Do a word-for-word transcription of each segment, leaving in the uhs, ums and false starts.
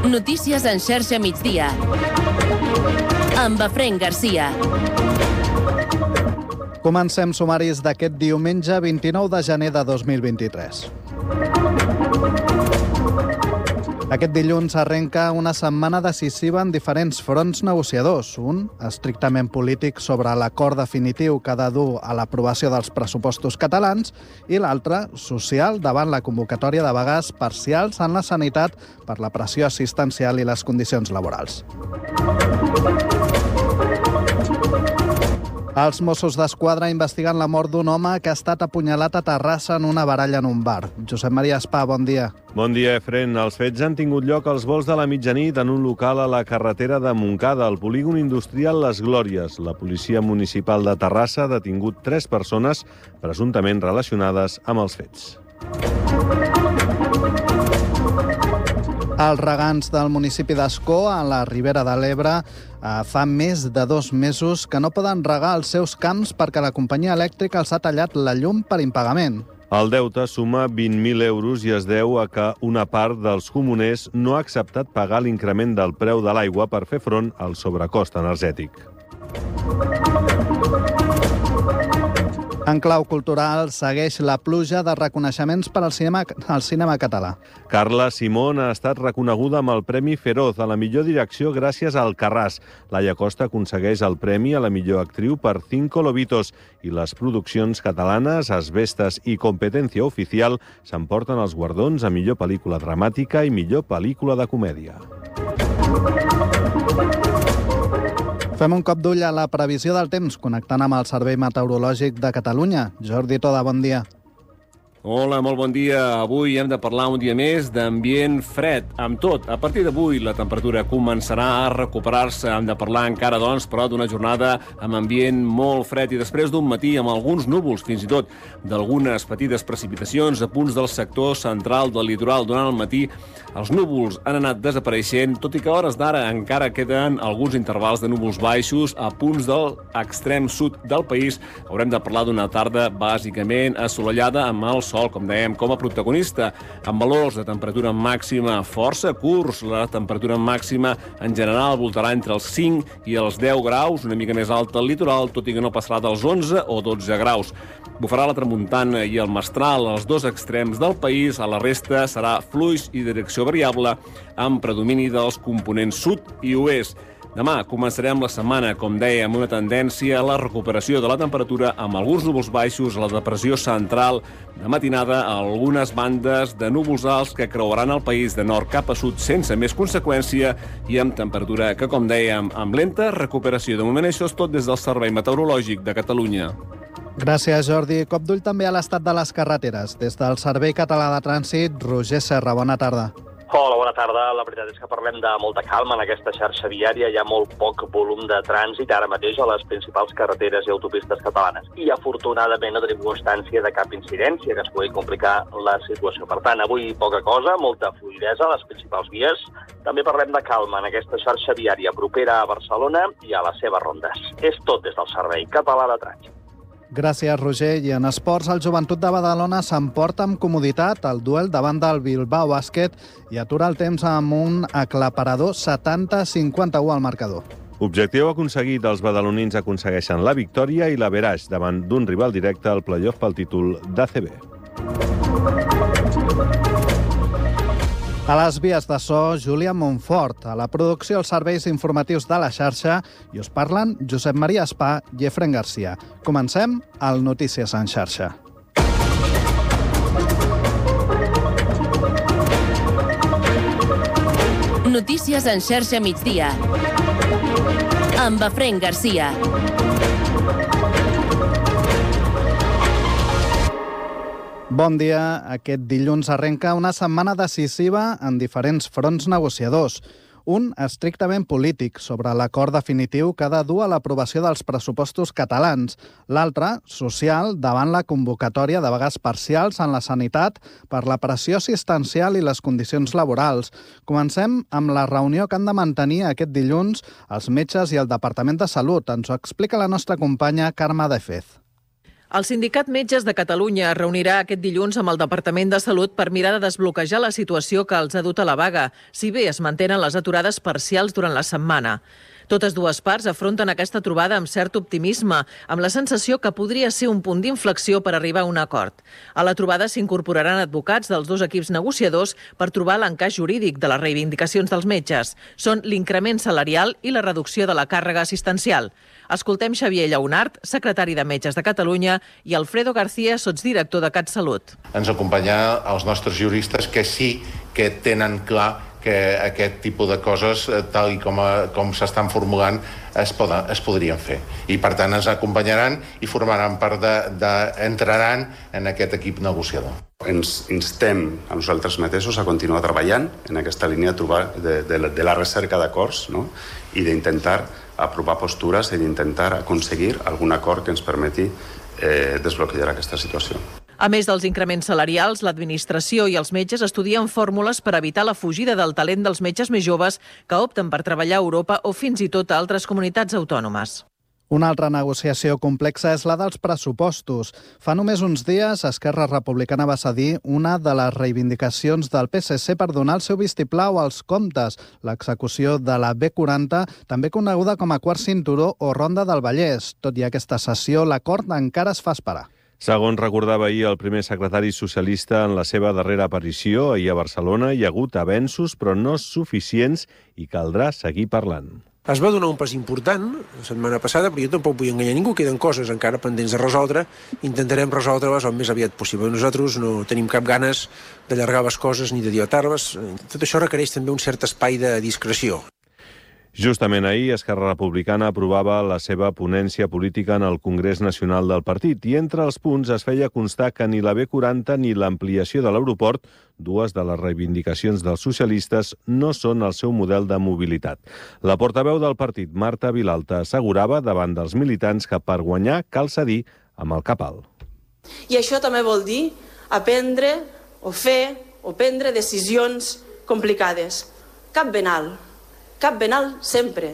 Notícies en xarxa migdia. Amb Efraín Garcia. Comencem sumaris d'aquest diumenge vint-i-nou de gener de dos mil vint-i-tres. Aquest dilluns arrenca una setmana decisiva en diferents fronts negociadors. Un, estrictament polític sobre l'acord definitiu que ha de dur a l'aprovació dels pressupostos catalans, i l'altre, social, davant la convocatòria de vagues parcials en la sanitat per la pressió assistencial i les condicions laborals. Els Mossos d'Esquadra investiguen la mort d'un home que ha estat apunyalat a Terrassa en una baralla en un bar. Josep Maria Espà, bon dia. Bon dia, Efraín. Els fets han tingut lloc als volts de la mitjanit en un local a la carretera de Montcada, al polígon industrial Les Glòries. La policia municipal de Terrassa ha detingut tres persones presumptament relacionades amb els fets. Els regants del municipi d'Ascó, a la Ribera de l'Ebre, fa més de dos mesos que no poden regar els seus camps perquè la companyia elèctrica els ha tallat la llum per impagament. El deute suma vint mil euros i es deu a que una part dels comuners no ha acceptat pagar l'increment del preu de l'aigua per fer front al sobrecost energètic. En clau cultural, segueix la pluja de reconeixements per al cinema, al cinema català. Carla Simón ha estat reconeguda amb el Premi Feroz a la millor direcció gràcies a Alcarràs. Laia Costa aconsegueix el premi a la millor actriu per Cinco Lobitos i les produccions catalanes Asbestas i Competencia Oficial s'emporten els guardons a millor pel·lícula dramàtica i millor pel·lícula de comèdia. Fem un cop d'ull a la previsió del temps, connectant amb el Servei Meteorològic de Catalunya. Jordi Toda, bon dia. Hola, molt bon dia. Avui hem de parlar un dia més d'ambient fred. Amb tot, a partir d'avui la temperatura començarà a recuperar-se. Hem de parlar encara, doncs, però d'una jornada amb ambient molt fred i després d'un matí amb alguns núvols, fins i tot d'algunes petites precipitacions a punts del sector central del litoral. Durant el matí els núvols han anat desapareixent, tot i que a hores d'ara encara queden alguns intervals de núvols baixos a punts de l'extrem sud del país. Haurem de parlar d'una tarda bàsicament assolellada amb el sol, com dèiem, com a protagonista, amb valors de temperatura màxima força curts. La temperatura màxima en general voltarà entre els cinc i els deu graus, una mica més alta al litoral, tot i que no passarà dels onze o dotze graus. Bufarà la tramuntana i el mestral als dos extrems del país. A la resta serà fluix i direcció variable, amb predomini dels components sud i oest. Demà començarem la setmana, com deia, amb una tendència a la recuperació de la temperatura, amb alguns núvols baixos a la depressió central, de matinada a algunes bandes de núvols alts que creuaran el país de nord cap a sud sense més conseqüència i amb temperatura que, com dèiem, amb lenta recuperació. De moment això és tot des del Servei Meteorològic de Catalunya. Gràcies, Jordi. Cop d'ull també a l'estat de les carreteres. Des del Servei Català de Trànsit, Roger Serra, bona tarda. Hola, bona tarda. La veritat és que parlem de molta calma en aquesta xarxa viària. Hi ha molt poc volum de trànsit ara mateix a les principals carreteres i autopistes catalanes. I afortunadament no tenim constància de cap incidència que es pugui complicar la situació. Per tant, avui poca cosa, molta fluïdesa a les principals vies. També parlem de calma en aquesta xarxa viària propera a Barcelona i a les seves rondes. És tot des del Servei Català de Trànsit. Gràcies, Roger. I en esports, el Joventut de Badalona s'emporta amb comoditat el duel davant del Bilbao Bàsquet i atura el temps amb un aclaparador setanta a cinquanta-u al marcador. Objectiu aconseguit, els badalonins aconsegueixen la victòria i l'averaix davant d'un rival directe al play-off pel títol d'A C B. A les vies de so, Júlia Montfort. A la producció, els serveis informatius de la xarxa, i us parlen Josep Maria Espà i Efraín Garcia. Comencem al Notícies en xarxa. Notícies en xarxa migdia. Amb Efraín Garcia. Bon dia. Aquest dilluns arrenca una setmana decisiva en diferents fronts negociadors. Un estrictament polític, sobre l'acord definitiu que ha de dur a l'aprovació dels pressupostos catalans. L'altre, social, davant la convocatòria de vagues parcials en la sanitat per la pressió assistencial i les condicions laborals. Comencem amb la reunió que han de mantenir aquest dilluns els metges i el Departament de Salut. Ens ho explica la nostra companya Carme De Fez. El Sindicat Metges de Catalunya es reunirà aquest dilluns amb el Departament de Salut per mirar de desbloquejar la situació que els ha dut a la vaga, si bé es mantenen les aturades parcials durant la setmana. Totes dues parts afronten aquesta trobada amb cert optimisme, amb la sensació que podria ser un punt d'inflexió per arribar a un acord. A la trobada s'incorporaran advocats dels dos equips negociadors per trobar l'encaix jurídic de les reivindicacions dels metges. Són l'increment salarial i la reducció de la càrrega assistencial. Escoltem Xavier Lleonart, secretari de Metges de Catalunya, i Alfredo García, sotsdirector de CatSalut. Ens acompanyar els nostres juristes que sí que tenen clar que aquest tipus de coses, tal i com, a, com s'estan formulant, es, poden, es podrien fer. I, per tant, ens acompanyaran i formaran part de, de, entraran en aquest equip negociador. Ens instem a nosaltres mateixos a continuar treballant en aquesta línia de, trobar, de, de, de la recerca d'acords, no? I d'intentar aprovar postures i d'intentar aconseguir algun acord que ens permeti eh, desbloquejar aquesta situació. A més dels increments salarials, l'administració i els metges estudien fórmules per evitar la fugida del talent dels metges més joves que opten per treballar a Europa o fins i tot a altres comunitats autònomes. Una altra negociació complexa és la dels pressupostos. Fa només uns dies, Esquerra Republicana va cedir una de les reivindicacions del P S C per donar el seu vistiplau als comptes, l'execució de la B quaranta, també coneguda com a quart cinturó o Ronda del Vallès. Tot i aquesta cessió, l'acord encara es fa esperar. Segons recordava ahir el primer secretari socialista en la seva darrera aparició ahir a Barcelona, hi ha hagut avenços, però no suficients, i caldrà seguir parlant. Es va donar un pas important la setmana passada, però jo tampoc vull enganyar ningú, queden coses encara pendents de resoldre, intentarem resoldre-les el més aviat possible. Nosaltres no tenim cap ganes d'allargar les coses ni de dilatar-les. Tot això requereix també un cert espai de discreció. Justament ahir, Esquerra Republicana aprovava la seva ponència política en el Congrés Nacional del partit i entre els punts es feia constar que ni la B quaranta ni l'ampliació de l'aeroport, dues de les reivindicacions dels socialistes, no són el seu model de mobilitat. La portaveu del partit, Marta Vilalta, assegurava davant dels militants que per guanyar cal cedir amb el cap alt. I això també vol dir aprendre o fer o prendre decisions complicades. Cap ben alt. Cap ben alt sempre.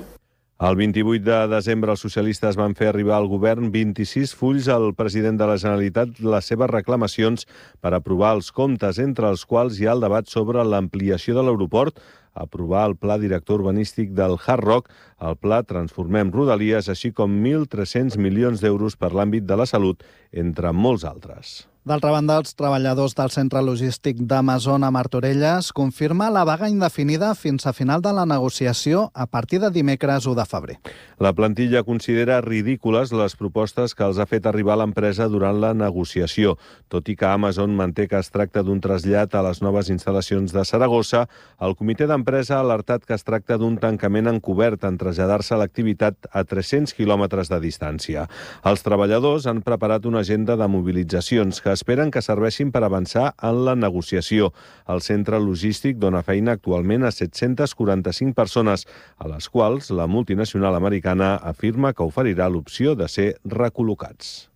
El vint-i-vuit de desembre els socialistes van fer arribar al govern vint-i-sis fulls al president de la Generalitat les seves reclamacions per aprovar els comptes, entre els quals hi ha el debat sobre l'ampliació de l'aeroport, aprovar el pla director urbanístic del Hard Rock, el pla Transformem Rodalies, així com mil tres-cents milions d'euros per l'àmbit de la salut, entre molts altres. D'altra banda, els treballadors del centre logístic d'Amazon a Martorelles confirma la vaga indefinida fins a final de la negociació a partir de dimecres u de febrer. La plantilla considera ridícules les propostes que els ha fet arribar l'empresa durant la negociació. Tot i que Amazon manté que es tracta d'un trasllat a les noves instal·lacions de Saragossa, el comitè d'empresa ha alertat que es tracta d'un tancament encobert en traslladar-se l'activitat a tres-cents quilòmetres de distància. Els treballadors han preparat una agenda de mobilitzacions que esperen que serveixin per avançar en la negociació. El centre logístic dona feina actualment a set-centes quaranta-cinc persones, a les quals la multinacional americana afirma que oferirà l'opció de ser recol·locats.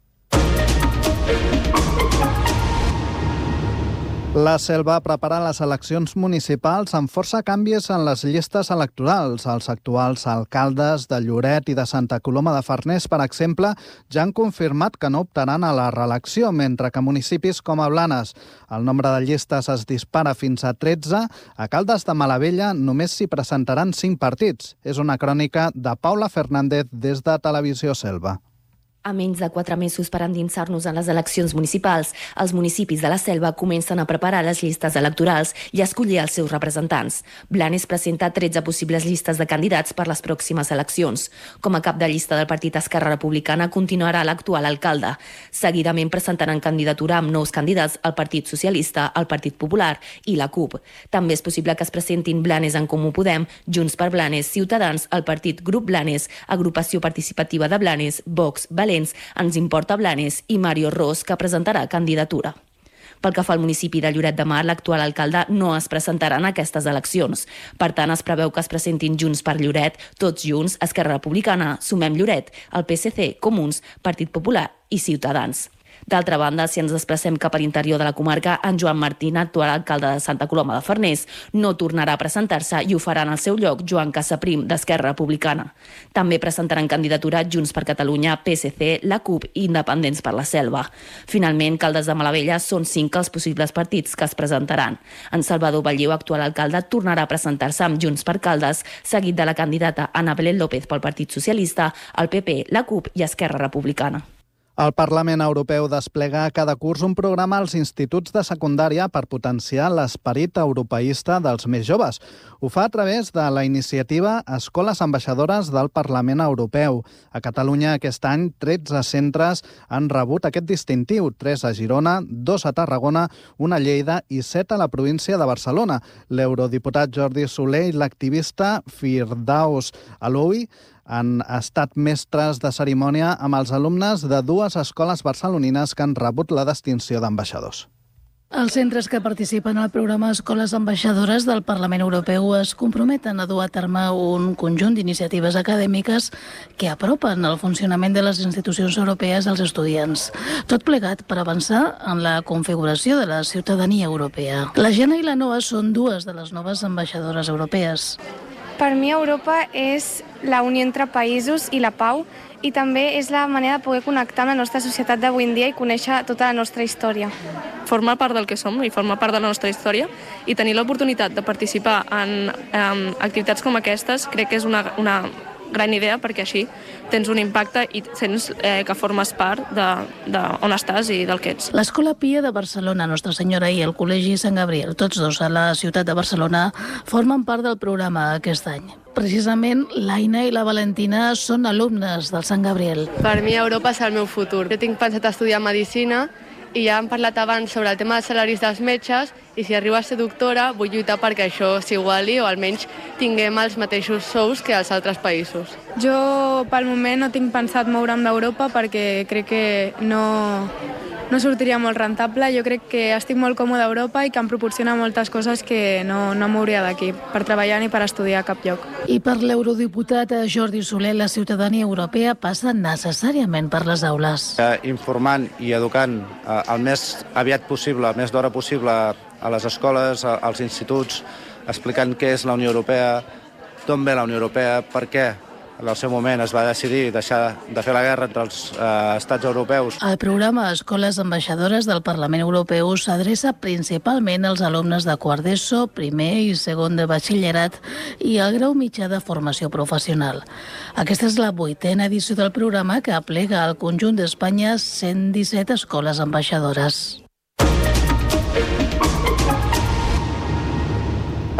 La Selva prepara les eleccions municipals amb força canvis en les llistes electorals. Els actuals alcaldes de Lloret i de Santa Coloma de Farners, per exemple, ja han confirmat que no optaran a la reelecció, mentre que municipis com a Blanes el nombre de llistes es dispara fins a tretze, a Caldes de Malavella només s'hi presentaran cinc partits. És una crònica de Paula Fernández des de Televisió Selva. A menys de quatre mesos per endinsar-nos en les eleccions municipals, els municipis de la Selva comencen a preparar les llistes electorals i a escollir els seus representants. Blanes presenta tretze possibles llistes de candidats per les pròximes eleccions. Com a cap de llista del partit Esquerra Republicana continuarà l'actual alcalde. Seguidament presentaran candidatura amb nous candidats al Partit Socialista, el Partit Popular i la CUP. També és possible que es presentin Blanes en Comú Podem, Junts per Blanes, Ciutadans, el Partit Grup Blanes, Agrupació Participativa de Blanes, Vox, València, Ens Importa Blanes i Mario Ros, que presentarà candidatura. Pel que fa al municipi de Lloret de Mar, l'actual alcalde no es presentarà en aquestes eleccions. Per tant, es preveu que es presentin Junts per Lloret, Tots Junts, Esquerra Republicana, Sumem Lloret, el P S C, Comuns, Partit Popular i Ciutadans. D'altra banda, si ens desplacem cap a l'interior de la comarca, en Joan Martín, actual alcalde de Santa Coloma de Farners, no tornarà a presentar-se i ho farà en el seu lloc Joan Casaprim, d'Esquerra Republicana. També presentaran candidatura Junts per Catalunya, P S C, la CUP i Independents per la Selva. Finalment, Caldes de Malavella són cinc els possibles partits que es presentaran. En Salvador Balliu, actual alcalde, tornarà a presentar-se amb Junts per Caldes, seguit de la candidata Ana Belén López pel Partit Socialista, el P P, la CUP i Esquerra Republicana. El Parlament Europeu desplega cada curs un programa als instituts de secundària per potenciar l'esperit europeista dels més joves. Ho fa a través de la iniciativa Escoles Ambaixadores del Parlament Europeu. A Catalunya aquest any tretze centres han rebut aquest distintiu, tres a Girona, dos a Tarragona, una a Lleida i set a la província de Barcelona. L'eurodiputat Jordi Soler i l'activista Firdaus Aloui han estat mestres de cerimònia amb els alumnes de dues escoles barcelonines que han rebut la distinció d'ambaixadors. Els centres que participen al programa Escoles Ambaixadores del Parlament Europeu es comprometen a dur a terme un conjunt d'iniciatives acadèmiques que apropen el funcionament de les institucions europees als estudiants. Tot plegat per avançar en la configuració de la ciutadania europea. La Jana i la Noa són dues de les noves ambaixadores europees. Per mi Europa és la unió entre països i la pau i també és la manera de poder connectar amb la nostra societat d'avui en dia i conèixer tota la nostra història. Formar part del que som i formar part de la nostra història i tenir l'oportunitat de participar en, en activitats com aquestes crec que és una, una gran idea perquè així tens un impacte i sents eh, que formes part de, de on estàs i del que ets. L'Escola Pia de Barcelona, Nostra Senyora i el Col·legi Sant Gabriel, tots dos a la ciutat de Barcelona, formen part del programa aquest any. Precisament, l'Aina i la Valentina són alumnes del Sant Gabriel. Per mi Europa és el meu futur. Jo tinc pensat estudiar Medicina i ja hem parlat abans sobre el tema dels salaris dels metges i si arribo a ser doctora vull lluitar perquè això s'iguali o almenys tinguem els mateixos sous que als altres països. Jo pel moment no tinc pensat moure'm d'Europa perquè crec que no, no sortiria molt rentable. Jo crec que estic molt còmode a Europa i que em proporciona moltes coses que no, no mouria d'aquí per treballar ni per estudiar a cap lloc. I per l'eurodiputat Jordi Soler, la ciutadania europea passa necessàriament per les aules. Eh, informant i educant eh, el més aviat possible, el més d'hora possible a les escoles, als instituts, explicant què és la Unió Europea, d'on ve la Unió Europea, per què en el seu moment es va decidir deixar de fer la guerra entre els eh, estats europeus. El programa Escoles Ambaixadores del Parlament Europeu s'adreça principalment als alumnes de quart d'ESO, primer i segon de batxillerat i el grau mitjà de formació professional. Aquesta és la vuitena edició del programa que aplega al conjunt d'Espanya cent disset escoles ambaixadores.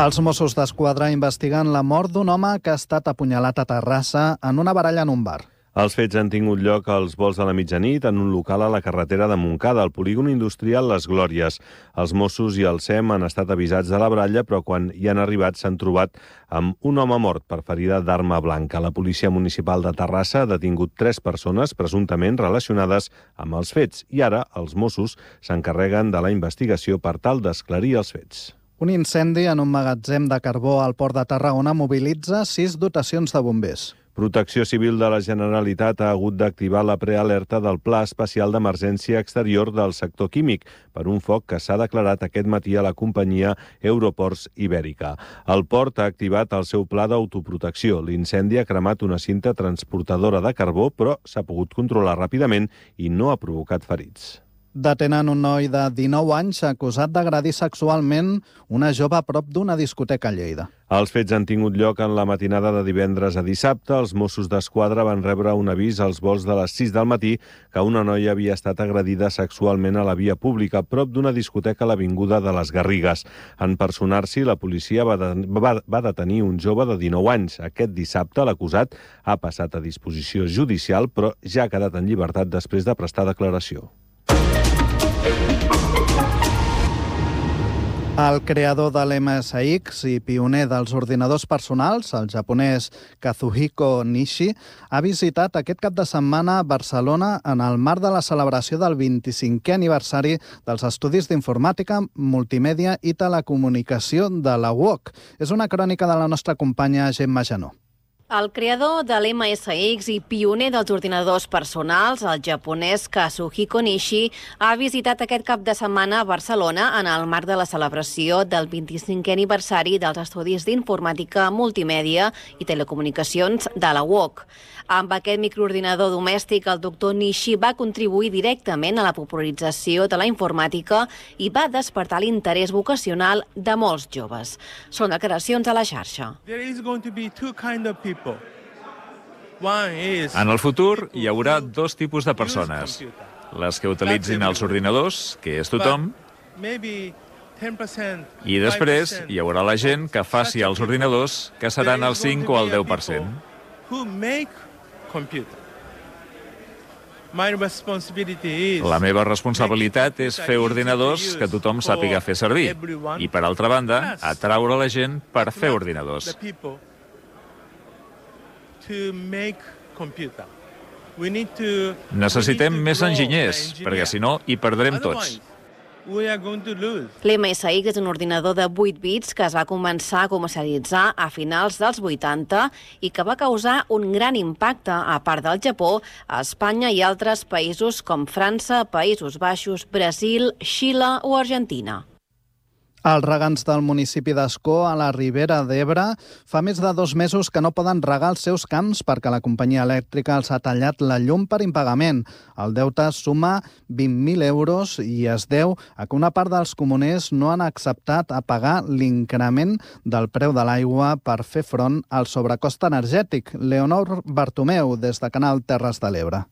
Els Mossos d'Esquadra investiguen la mort d'un home que ha estat apunyalat a Terrassa en una baralla en un bar. Els fets han tingut lloc als volts de la mitjanit en un local a la carretera de Montcada, al polígon industrial Les Glòries. Els Mossos i el S E M han estat avisats de la baralla, però quan hi han arribat s'han trobat amb un home mort per ferida d'arma blanca. La policia municipal de Terrassa ha detingut tres persones presumptament relacionades amb els fets i ara els Mossos s'encarreguen de la investigació per tal d'esclarir els fets. Un incendi en un magatzem de carbó al port de Tarragona mobilitza sis dotacions de bombers. Protecció Civil de la Generalitat ha hagut d'activar la prealerta del Pla Especial d'Emergència Exterior del sector químic per un foc que s'ha declarat aquest matí a la companyia Euroports Ibèrica. El port ha activat el seu pla d'autoprotecció. L'incendi ha cremat una cinta transportadora de carbó, però s'ha pogut controlar ràpidament i no ha provocat ferits. Detenen un noi de dinou anys acusat d'agredir sexualment una jove a prop d'una discoteca a Lleida. Els fets han tingut lloc en la matinada de divendres a dissabte. Els Mossos d'Esquadra van rebre un avís als volts de les sis del matí que una noia havia estat agredida sexualment a la via pública a prop d'una discoteca a l'avinguda de les Garrigues. En personar-s'hi, la policia va, de, va, va detenir un jove de dinou anys. Aquest dissabte l'acusat ha passat a disposició judicial, però ja ha quedat en llibertat després de prestar declaració. El creador de l'M S X i pioner dels ordinadors personals, el japonès Kazuhiko Nishi, ha visitat aquest cap de setmana Barcelona en el marc de la celebració del vint-i-cinquè aniversari dels Estudis d'Informàtica, Multimèdia i Telecomunicació de la U O C. És una crònica de la nostra companya Gemma Janó. El creador de l'M S X i pioner dels ordinadors personals, el japonès Kazuhiko Nishi, ha visitat aquest cap de setmana a Barcelona en el marc de la celebració del vint-i-cinquè aniversari dels estudis d'informàtica, multimèdia i telecomunicacions de la U O C. Amb aquest microordinador domèstic, el doctor Nishi va contribuir directament a la popularització de la informàtica i va despertar l'interès vocacional de molts joves. Són declaracions a la xarxa. En el futur hi haurà dos tipus de persones. Les que utilitzin els ordinadors, que és tothom, i després hi haurà la gent que faci els ordinadors, que seran el cinc o el deu per cent. La meva responsabilitat és fer ordinadors que tothom sàpiga fer servir i, per altra banda, atraure la gent per fer ordinadors. Necessitem més enginyers, perquè si no hi perdrem tots. L'M S X és un ordinador de vuit bits que es va començar a comercialitzar a finals dels vuitanta i que va causar un gran impacte a part del Japó, a Espanya i altres països com França, Països Baixos, Brasil, Xile o Argentina. Els regants del municipi d'Ascó, a la Ribera d'Ebre, fa més de dos mesos que no poden regar els seus camps perquè la companyia elèctrica els ha tallat la llum per impagament. El deute suma vint mil euros i es deu a que una part dels comuners no han acceptat a pagar l'increment del preu de l'aigua per fer front al sobrecost energètic. Leonor Bartomeu, des de Canal Terres de l'Ebre.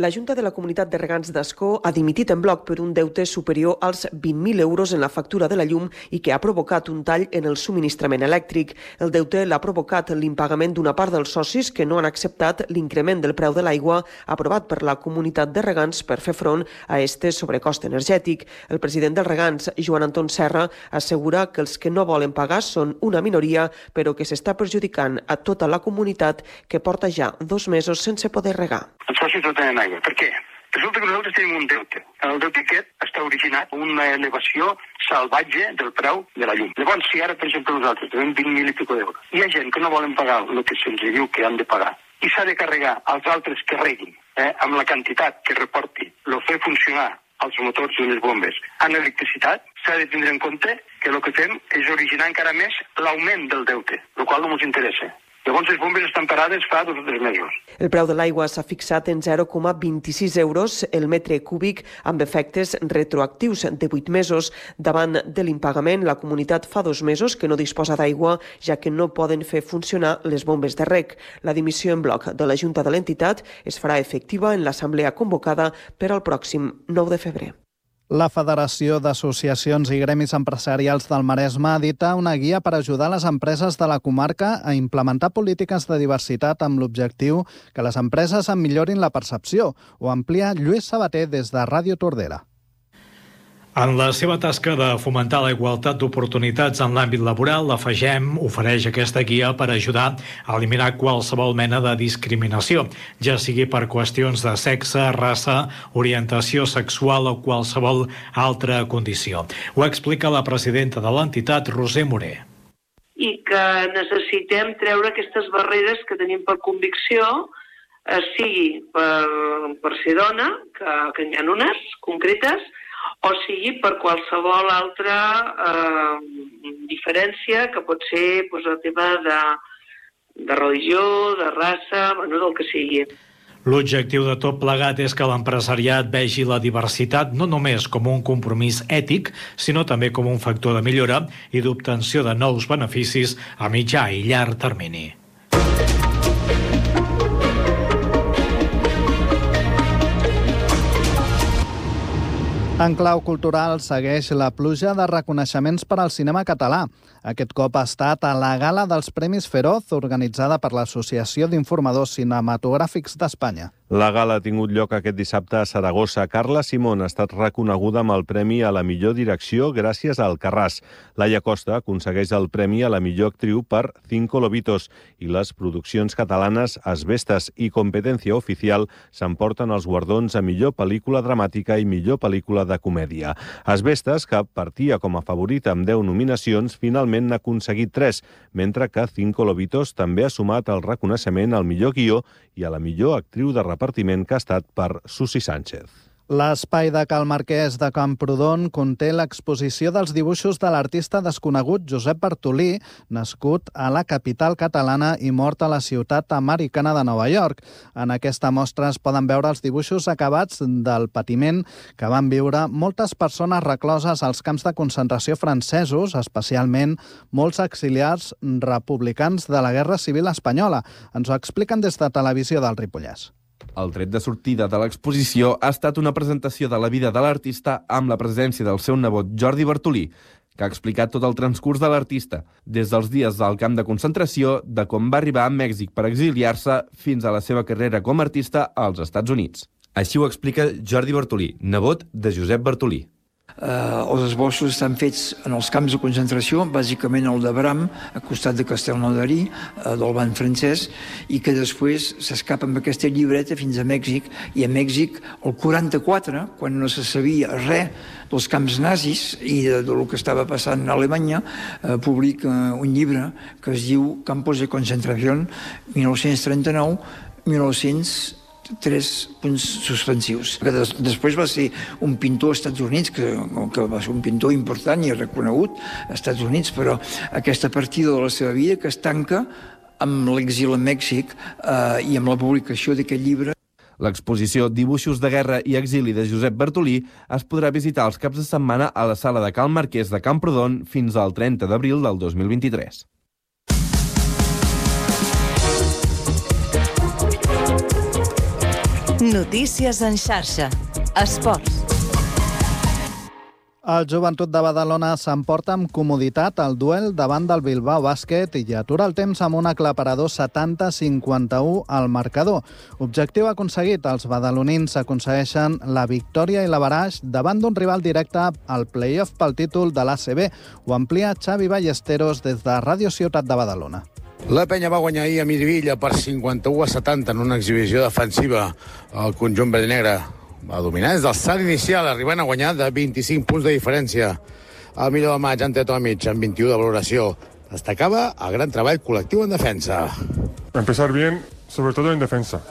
La Junta de la Comunitat de Regants d'Ascó ha dimitit en bloc per un deute superior als vint mil euros en la factura de la llum i que ha provocat un tall en el subministrament elèctric. El deute l'ha provocat l'impagament d'una part dels socis que no han acceptat l'increment del preu de l'aigua aprovat per la Comunitat de Regants per fer front a este sobrecost energètic. El president dels Regants, Joan Anton Serra, assegura que els que no volen pagar són una minoria, però que s'està perjudicant a tota la comunitat que porta ja dos mesos sense poder regar. Els socis no tenen aigua. Per què? Resulta que nosaltres tenim un deute. El deute aquest està originat una elevació salvatge del preu de la llum. Llavors, si ara, per exemple, nosaltres tenim vint mil i pico d'euros, hi ha gent que no volen pagar el que se'ls diu que han de pagar i s'ha de carregar als altres que reguin eh, amb la quantitat que reporti el fer funcionar els motors i les bombes en electricitat, s'ha de tindre en compte que el que fem és originar encara més l'augment del deute, el qual no ens interessa. Llavors, les bombes estan parades fa dos o tres mesos. El preu de l'aigua s'ha fixat en zero coma vint-i-sis euros el metre cúbic amb efectes retroactius de vuit mesos. Davant de l'impagament, la comunitat fa dos mesos que no disposa d'aigua, ja que no poden fer funcionar les bombes de reg. La dimissió en bloc de la Junta de l'entitat es farà efectiva en l'assemblea convocada per al pròxim nou de febrer. La Federació d'Associacions i Gremis Empresarials del Maresme edita una guia per ajudar les empreses de la comarca a implementar polítiques de diversitat amb l'objectiu que les empreses en millorin la percepció. Ho amplia Lluís Sabater des de Ràdio Tordera. En la seva tasca de fomentar la igualtat d'oportunitats en l'àmbit laboral, la FAGEM ofereix aquesta guia per ajudar a eliminar qualsevol mena de discriminació, ja sigui per qüestions de sexe, raça, orientació sexual o qualsevol altra condició. Ho explica la presidenta de l'entitat, Roser Morer. I que necessitem treure aquestes barreres que tenim per convicció, sigui per, per ser dona, que, que hi ha unes concretes, o sigui per qualsevol altra eh, diferència que pot ser pues, el tema de, de religió, de raça, bueno, del que sigui. L'objectiu de tot plegat és que l'empresariat vegi la diversitat no només com un compromís ètic, sinó també com un factor de millora i d'obtenció de nous beneficis a mitjà i llarg termini. En clau cultural segueix la pluja de reconeixements per al cinema català. Aquest cop ha estat a la gala dels Premis Feroz, organitzada per l'Associació d'Informadors Cinematogràfics d'Espanya. La gala ha tingut lloc aquest dissabte a Saragossa. Carla Simón ha estat reconeguda amb el Premi a la millor direcció gràcies a Alcarràs. Laia Costa aconsegueix el Premi a la millor actriu per Cinco Lobitos i les produccions catalanes Asbestas i Competencia Oficial s'emporten els guardons a millor pel·lícula dramàtica i millor pel·lícula de comèdia. Asbestas, que partia com a favorita amb deu nominacions, finalment n'ha aconseguit tres, mentre que Cinco Lobitos també ha sumat el reconeixement al millor guió i a la millor actriu de repartiment, que ha estat per Susi Sánchez. L'espai de Cal Marquès de Camprodon conté l'exposició dels dibuixos de l'artista desconegut Josep Bartolí, nascut a la capital catalana i mort a la ciutat americana de Nova York. En aquesta mostra es poden veure els dibuixos acabats del patiment que van viure moltes persones recloses als camps de concentració francesos, especialment molts exiliats republicans de la Guerra Civil Espanyola. Ens ho expliquen des de Televisió del Ripollès. El tret de sortida de l'exposició ha estat una presentació de la vida de l'artista amb la presència del seu nebot Jordi Bartolí, que ha explicat tot el transcurs de l'artista, des dels dies del camp de concentració, de com va arribar a Mèxic per exiliar-se, fins a la seva carrera com a artista als Estats Units. Així ho explica Jordi Bartolí, nebot de Josep Bartolí. Uh, els esbossos estan fets en els camps de concentració, bàsicament el de Bram, a costat de Castelnaudary, uh, del banc francès, i que després s'escapa amb aquesta llibreta fins a Mèxic, i a Mèxic el quaranta-quatre, quan no se sabia res dels camps nazis i de, de lo que estava passant a Alemanya, uh, publica un llibre que es diu Campos de Concentración, mil nou-cents trenta-nou a mil nou-cents tres punts suspensius. Que des, després va ser un pintor als Estats Units, que, que va ser un pintor important i reconegut als Estats Units, però aquesta partida de la seva vida que es tanca amb l'exili a Mèxic eh, i amb la publicació d'aquest llibre. L'exposició Dibuixos de guerra i exili de Josep Bartolí es podrà visitar els caps de setmana a la sala de Cal Marquès de Camprodon fins al trenta d'abril del dos mil vint-i-tres. Notícies en xarxa. Esports. El Joventut de Badalona s'emporta amb comoditat el duel davant del Bilbao Bàsquet i atura el temps amb un aclaparador setanta a cinquanta-u al marcador. Objectiu aconseguit, els badalonins aconsegueixen la victòria i l'averaix davant d'un rival directe al play-off pel títol de l'A C B. Ho amplia Xavi Ballesteros des de Ràdio Ciutat de Badalona. La penya va guanyar ahir a Miribilla per cinquanta-u a setanta en una exhibició defensiva. El conjunt verd-i-negre va dominar des del salt inicial, arribant a guanyar de vint-i-cinc punts de diferència. El millor de maig, Ante Tomic, amb vint-i-u de valoració. Destacava el gran treball col·lectiu en defensa. Empezar bien, sobre todo en defensa.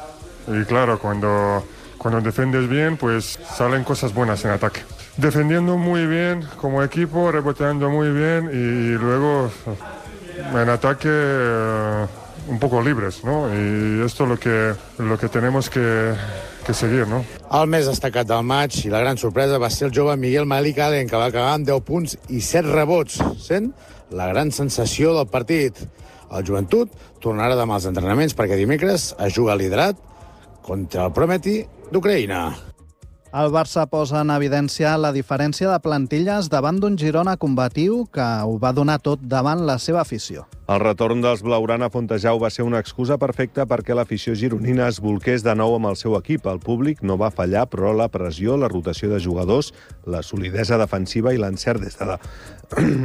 Y claro, cuando, cuando defiendes bien, pues salen cosas buenas en ataque. Defendiendo muy bien como equipo, reboteando muy bien y luego en ataque uh, un poco libres, ¿no? Y esto es lo que, lo que tenemos que, que seguir, ¿no? El més destacat del maig i la gran sorpresa va ser el jove Miguel Malik Allen, que va acabar amb deu punts i set rebots, sent la gran sensació del partit. El Joventut tornarà demà als entrenaments perquè dimecres es juga liderat contra el Prometi d'Ucraïna. El Barça posa en evidència la diferència de plantilles davant d'un Girona combatiu que ho va donar tot davant la seva afició. El retorn dels blaugrana a Fontejau va ser una excusa perfecta perquè l'afició gironina es bolqués de nou amb el seu equip. El públic no va fallar, però la pressió, la rotació de jugadors, la solidesa defensiva i l'encert des de la,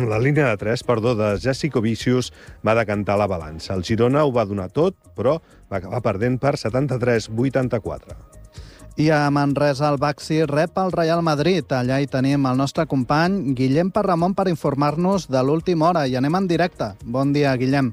la línia de tres, perdó, de Jessico Vicius va decantar la balança. El Girona ho va donar tot, però va acabar perdent per setanta-tres a vuitanta-quatre. I a Manresa el Baxi rep el Real Madrid. Allà hi tenim el nostre company Guillem Parramon per informar-nos de l'última hora. I anem en directe. Bon dia, Guillem.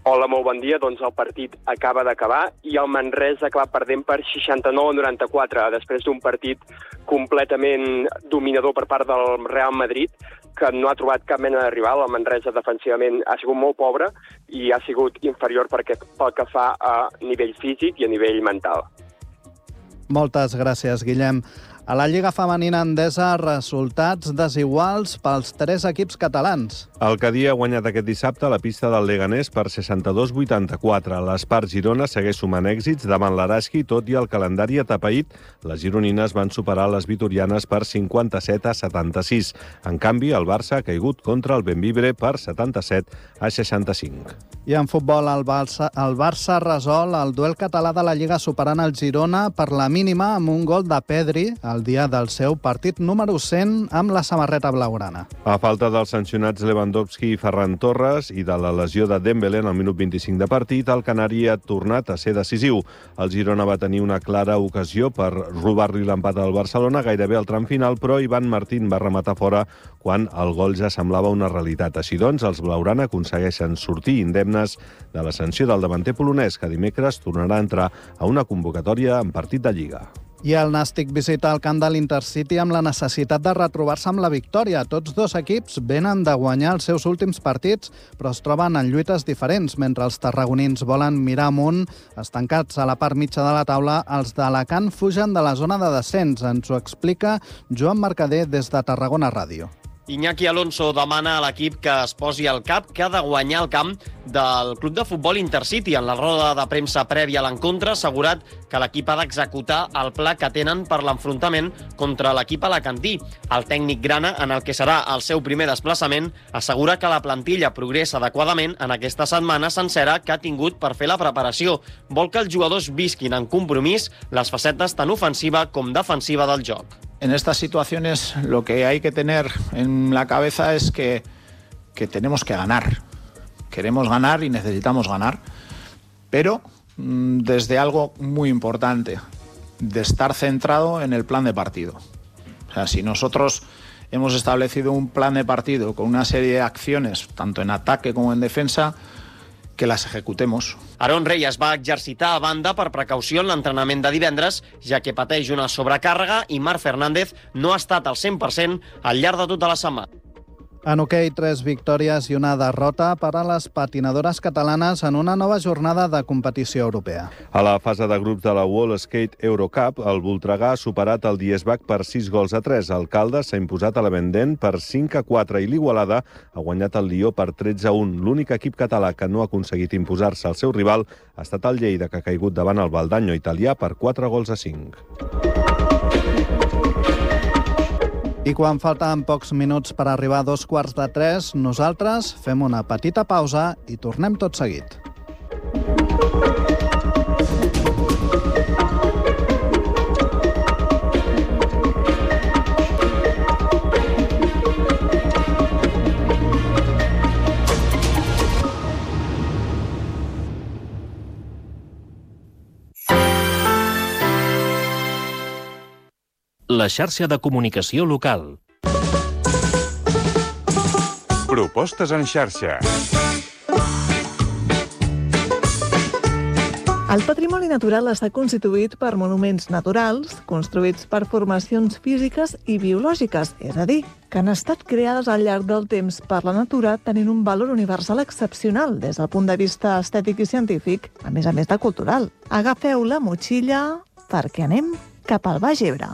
Hola, molt bon dia. Doncs el partit acaba d'acabar i el Manresa acaba perdent per seixanta-nou a noranta-quatre, després d'un partit completament dominador per part del Real Madrid, que no ha trobat cap mena de rival. El Manresa defensivament ha sigut molt pobre i ha sigut inferior perquè, pel que fa a nivell físic i a nivell mental. Moltes gràcies, Guillem. A la Lliga Femenina Endesa, resultats desiguals pels tres equips catalans. El Cadí ha guanyat aquest dissabte a la pista del Leganés per seixanta-dos a vuitanta-quatre. L'Espart Girona segueix sumant èxits davant l'Araski, tot i el calendari atapeït. Les gironines van superar les vitorianes per cinquanta-set a setanta-sis. En canvi, el Barça ha caigut contra el Bembibre per setanta-set a seixanta-cinc. I en futbol, el Barça, el Barça resol el duel català de la Lliga superant el Girona per la mínima amb un gol de Pedri el dia del seu partit número cent amb la samarreta blaugrana. A falta dels sancionats Lewandowski i Ferran Torres i de la lesió de Dembélé en el minut vint-i-cinc de partit, el canari ha tornat a ser decisiu. El Girona va tenir una clara ocasió per robar-li l'empat al Barcelona gairebé al tram final, però Ivan Martín va rematar fora quan el gol ja semblava una realitat. Així doncs, els blaugrana aconsegueixen sortir indemnes de la sanció del davanter polonès, que dimecres tornarà a entrar a una convocatòria en partit de Lliga. I el Nàstic visita el camp de l'Intercity amb la necessitat de retrobar-se amb la victòria. Tots dos equips venen de guanyar els seus últims partits, però es troben en lluites diferents. Mentre els tarragonins volen mirar amunt, estancats a la part mitja de la taula, els d'Alacant fugen de la zona de descens. Ens ho explica Joan Mercader des de Tarragona Ràdio. Iñaki Alonso demana a l'equip que es posi al cap que ha de guanyar el camp del club de futbol Intercity. En la roda de premsa prèvia a l'encontre ha assegurat que l'equip ha d'executar el pla que tenen per l'enfrontament contra l'equip alacantí. El tècnic grana, en el que serà el seu primer desplaçament, assegura que la plantilla progressa adequadament en aquesta setmana sencera que ha tingut per fer la preparació. Vol que els jugadors visquin en compromís les facetes tant ofensiva com defensiva del joc. En estas situaciones lo que hay que tener en la cabeza es que, que tenemos que ganar. Queremos ganar y necesitamos ganar, pero mmm, desde algo muy importante, de estar centrado en el plan de partido. O sea, si nosotros hemos establecido un plan de partido con una serie de acciones, tanto en ataque como en defensa, que les ejecutemos. Aaron Reyes va exercitar a banda per precaució en l'entrenament de divendres, ja que pateix una sobrecàrrega i Marc Fernández no ha estat al cent per cent al llarg de tota la setmana. En hoquei, tres victòries i una derrota per a les patinadores catalanes en una nova jornada de competició europea. A la fase de grups de la World Skate Eurocup, el Voltregà ha superat el Diesbach per sis gols a tres. El Caldes s'ha imposat a la Vendent per cinc a quatre i l'Igualada ha guanyat el Lió per tretze a un. L'únic equip català que no ha aconseguit imposar-se al seu rival ha estat el Lleida, que ha caigut davant el Valdanyo italià per quatre gols a cinc. I quan falten pocs minuts per arribar a dos quarts de tres, nosaltres fem una petita pausa i tornem tot seguit. La xarxa de comunicació local. Propostes en xarxa. El patrimoni natural està constituït per monuments naturals, construïts per formacions físiques i biològiques, és a dir, que han estat creades al llarg del temps per la natura tenint un valor universal excepcional des del punt de vista estètic i científic, a més a més de cultural. Agafeu la motxilla perquè anem cap al Baix Ebre.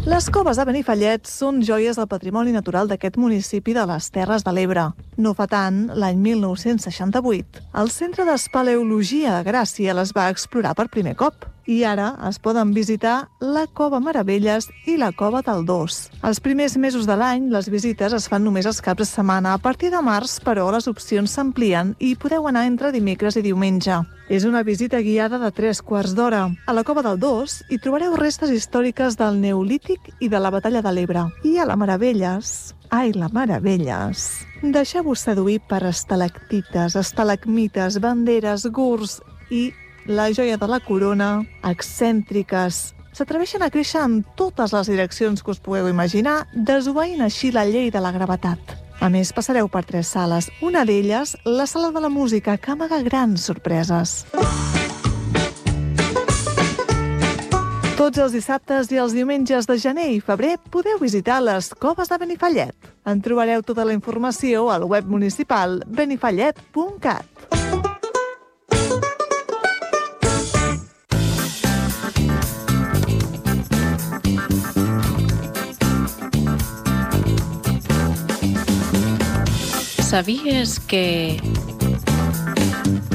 Les coves de Benifallet són joies del patrimoni natural d'aquest municipi de les Terres de l'Ebre. No fa tant, l'any mil nou-cents seixanta-vuit, el Centre d'Espeleologia de Gràcia les va explorar per primer cop. I ara es poden visitar la Cova Meravelles i la Cova del Dos. Els primers mesos de l'any, les visites es fan només els caps de setmana. A partir de març, però, les opcions s'amplien i podeu anar entre dimecres i diumenge. És una visita guiada de tres quarts d'hora. A la Cova del Dos hi trobareu restes històriques del Neolític i de la Batalla de l'Ebre. I a la Meravelles... Ai, la Meravelles! Deixeu-vos seduir per estalactites, estalagmites, banderes, gurs i la joia de la corona, excèntriques. S'atreveixen a créixer en totes les direccions que us pugueu imaginar, desobeint així la llei de la gravetat. A més, passareu per tres sales. Una d'elles, la sala de la música, que amaga grans sorpreses. Tots els dissabtes i els diumenges de gener i febrer podeu visitar les coves de Benifallet. En trobareu tota la informació al web municipal benifallet punt cat. Sabies que...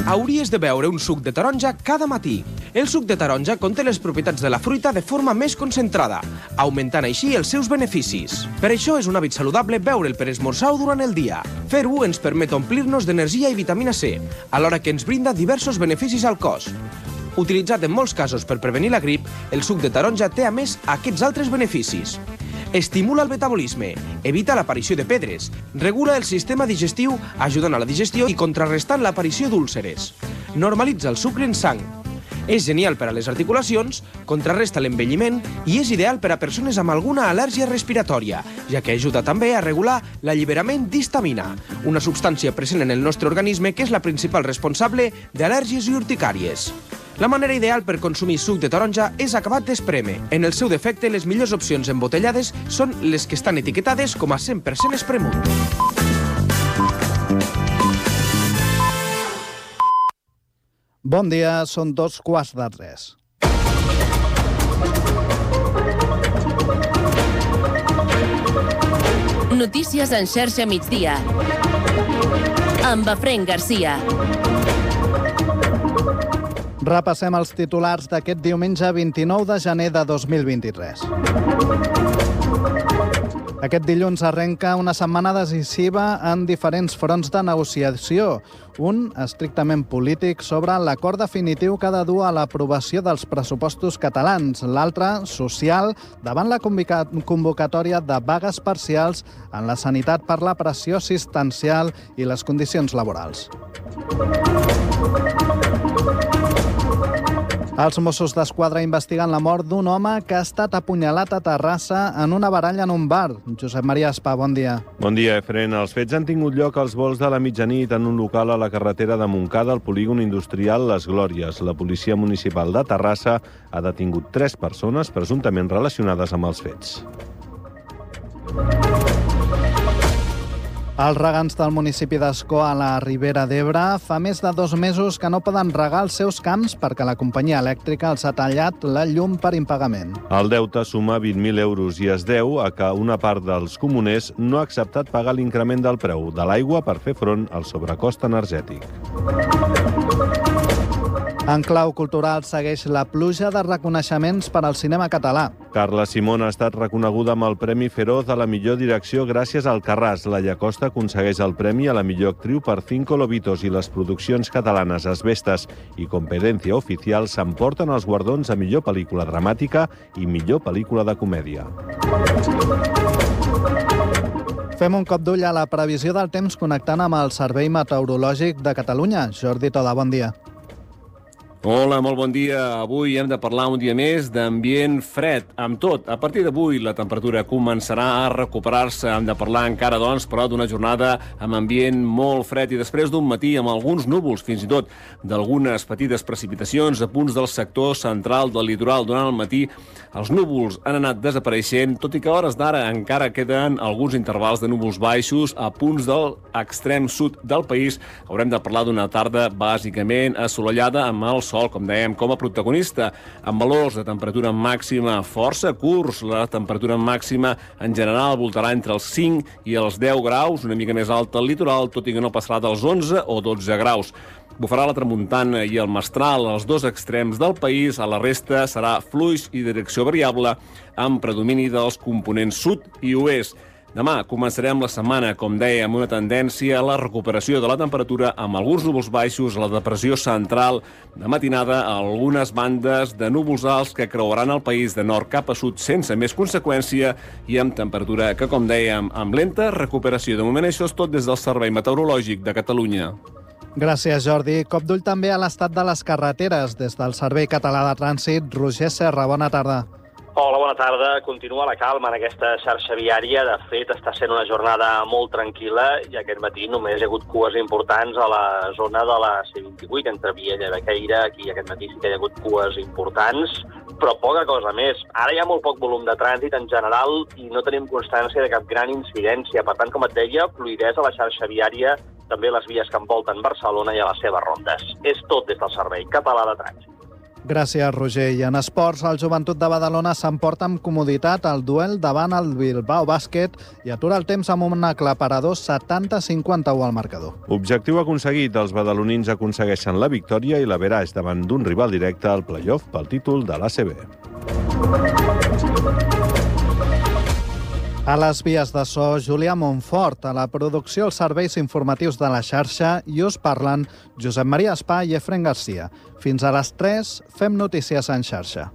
Hauries de beure un suc de taronja cada matí. El suc de taronja conté les propietats de la fruita de forma més concentrada, augmentant així els seus beneficis. Per això és un hàbit saludable beure'l per esmorzar o durant el dia. Fer-ho ens permet omplir-nos d'energia i vitamina C, alhora que ens brinda diversos beneficis al cos. Utilitzat en molts casos per prevenir la grip, el suc de taronja té a més aquests altres beneficis. Estimula el metabolisme, evita l'aparició de pedres, regula el sistema digestiu ajudant a la digestió i contrarrestant l'aparició d'úlceres. Normalitza el sucre en sang. És genial per a les articulacions, contrarresta l'envelliment i és ideal per a persones amb alguna al·lèrgia respiratòria, ja que ajuda també a regular l'alliberament d'histamina, una substància present en el nostre organisme que és la principal responsable d'al·lèrgies i urticàries. La manera ideal per consumir suc de taronja és acabat d'esprémer. En el seu defecte, les millors opcions embotellades són les que estan etiquetades com a cent per cent espremut. Bon dia, són dos quarts de tres. Notícies en xarxa migdia. Amb Efrén Garcia. Repassem els titulars d'aquest diumenge vint-i-nou de gener de dos mil vint-i-tres. Aquest dilluns arrenca una setmana decisiva en diferents fronts de negociació. Un, estrictament polític, sobre l'acord definitiu que ha de dur a l'aprovació dels pressupostos catalans. L'altre, social, davant la convocatòria de vagues parcials en la sanitat per la pressió assistencial i les condicions laborals. Els Mossos d'Esquadra investiguen la mort d'un home que ha estat apunyalat a Terrassa en una baralla en un bar. Josep Maria Espà, bon dia. Bon dia, Efrén. Els fets han tingut lloc als volts de la mitjanit en un local a la carretera de Montcada, al polígon industrial Les Glòries. La policia municipal de Terrassa ha detingut tres persones presumptament relacionades amb els fets. Els regants del municipi d'Ascó, a la Ribera d'Ebre, fa més de dos mesos que no poden regar els seus camps perquè la companyia elèctrica els ha tallat la llum per impagament. El deute suma vint mil euros i es deu a que una part dels comuners no ha acceptat pagar l'increment del preu de l'aigua per fer front al sobrecost energètic. En clau cultural segueix la pluja de reconeixements per al cinema català. Carla Simón ha estat reconeguda amb el Premi Feroz a la millor direcció gràcies al Carràs. La Llacosta aconsegueix el premi a la millor actriu per Cinco Lobitos i les produccions catalanes Asbestas i Competencia Oficial s'emporten els guardons a millor pel·lícula dramàtica i millor pel·lícula de comèdia. Fem un cop d'ull a la previsió del temps connectant amb el Servei Meteorològic de Catalunya. Jordi Toda, bon dia. Hola, molt bon dia. Avui hem de parlar un dia més d'ambient fred. Amb tot, a partir d'avui la temperatura començarà a recuperar-se. Hem de parlar encara, doncs, però d'una jornada amb ambient molt fred i després d'un matí amb alguns núvols, fins i tot d'algunes petites precipitacions a punts del sector central del litoral. Durant el matí els núvols han anat desapareixent, tot i que a hores d'ara encara queden alguns intervals de núvols baixos a punts de l'extrem sud del país. Haurem de parlar d'una tarda bàsicament assolellada amb el sol, com dèiem, com a protagonista, amb valors de temperatura màxima força curts. La temperatura màxima en general voltarà entre els cinc i els deu graus, una mica més alta al litoral, tot i que no passarà dels onze o dotze graus. Bufarà la tramuntana i el mestral als dos extrems del país. A la resta serà fluix i direcció variable, amb predomini dels components sud i oest. Demà començarem la setmana, com deia, amb una tendència a la recuperació de la temperatura amb alguns núvols baixos, a la depressió central de matinada, a algunes bandes de núvols alts que creuaran el país de nord cap a sud sense més conseqüència i amb temperatura que, com dèiem, amb lenta recuperació. De moment això és tot des del Servei Meteorològic de Catalunya. Gràcies, Jordi. Cop d'ull també a l'estat de les carreteres. Des del Servei Català de Trànsit, Roger Serra, bona tarda. Hola, bona tarda. Continua la calma en aquesta xarxa viària. De fet, està sent una jornada molt tranquil·la i aquest matí només hi ha hagut cues importants a la zona de la C vint-i-vuit, entre Viella i Bequeira. Aquí aquest matí sí que hi ha hagut cues importants, però poca cosa més. Ara hi ha molt poc volum de trànsit en general i no tenim constància de cap gran incidència. Per tant, com et deia, fluïdesa a la xarxa viària, també les vies que envolten Barcelona i a les seves rondes. És tot des del Servei Català de Trànsit. Gràcies, Roger. I en esports, el Joventut de Badalona s'emporta amb comoditat el duel davant el Bilbao Bàsquet i atura el temps amb un aclaparador setanta a cinquanta-u al marcador. Objectiu aconseguit. Els badalonins aconsegueixen la victòria i l'averaix davant d'un rival directe al play-off pel títol de l'A C B. A les vies de so, Julià Montfort. A la producció, els serveis informatius de la xarxa, i us parlen Josep Maria Espà i Efrén Garcia. Fins a les tres, fem notícies en xarxa.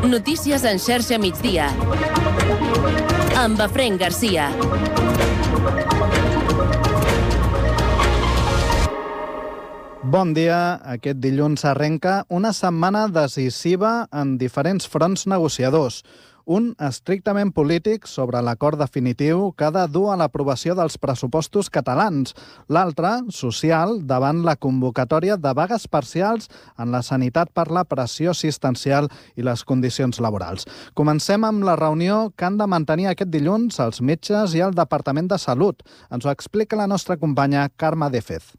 Notícies en xarxa migdia. Amb Efrén Garcia. Bon dia. Aquest dilluns arrenca una setmana decisiva en diferents fronts negociadors. Un estrictament polític sobre l'acord definitiu que ha de dur a l'aprovació dels pressupostos catalans. L'altre, social, davant la convocatòria de vagues parcials en la sanitat per la pressió assistencial i les condicions laborals. Comencem amb la reunió que han de mantenir aquest dilluns els metges i el Departament de Salut. Ens ho explica la nostra companya Carme Défez.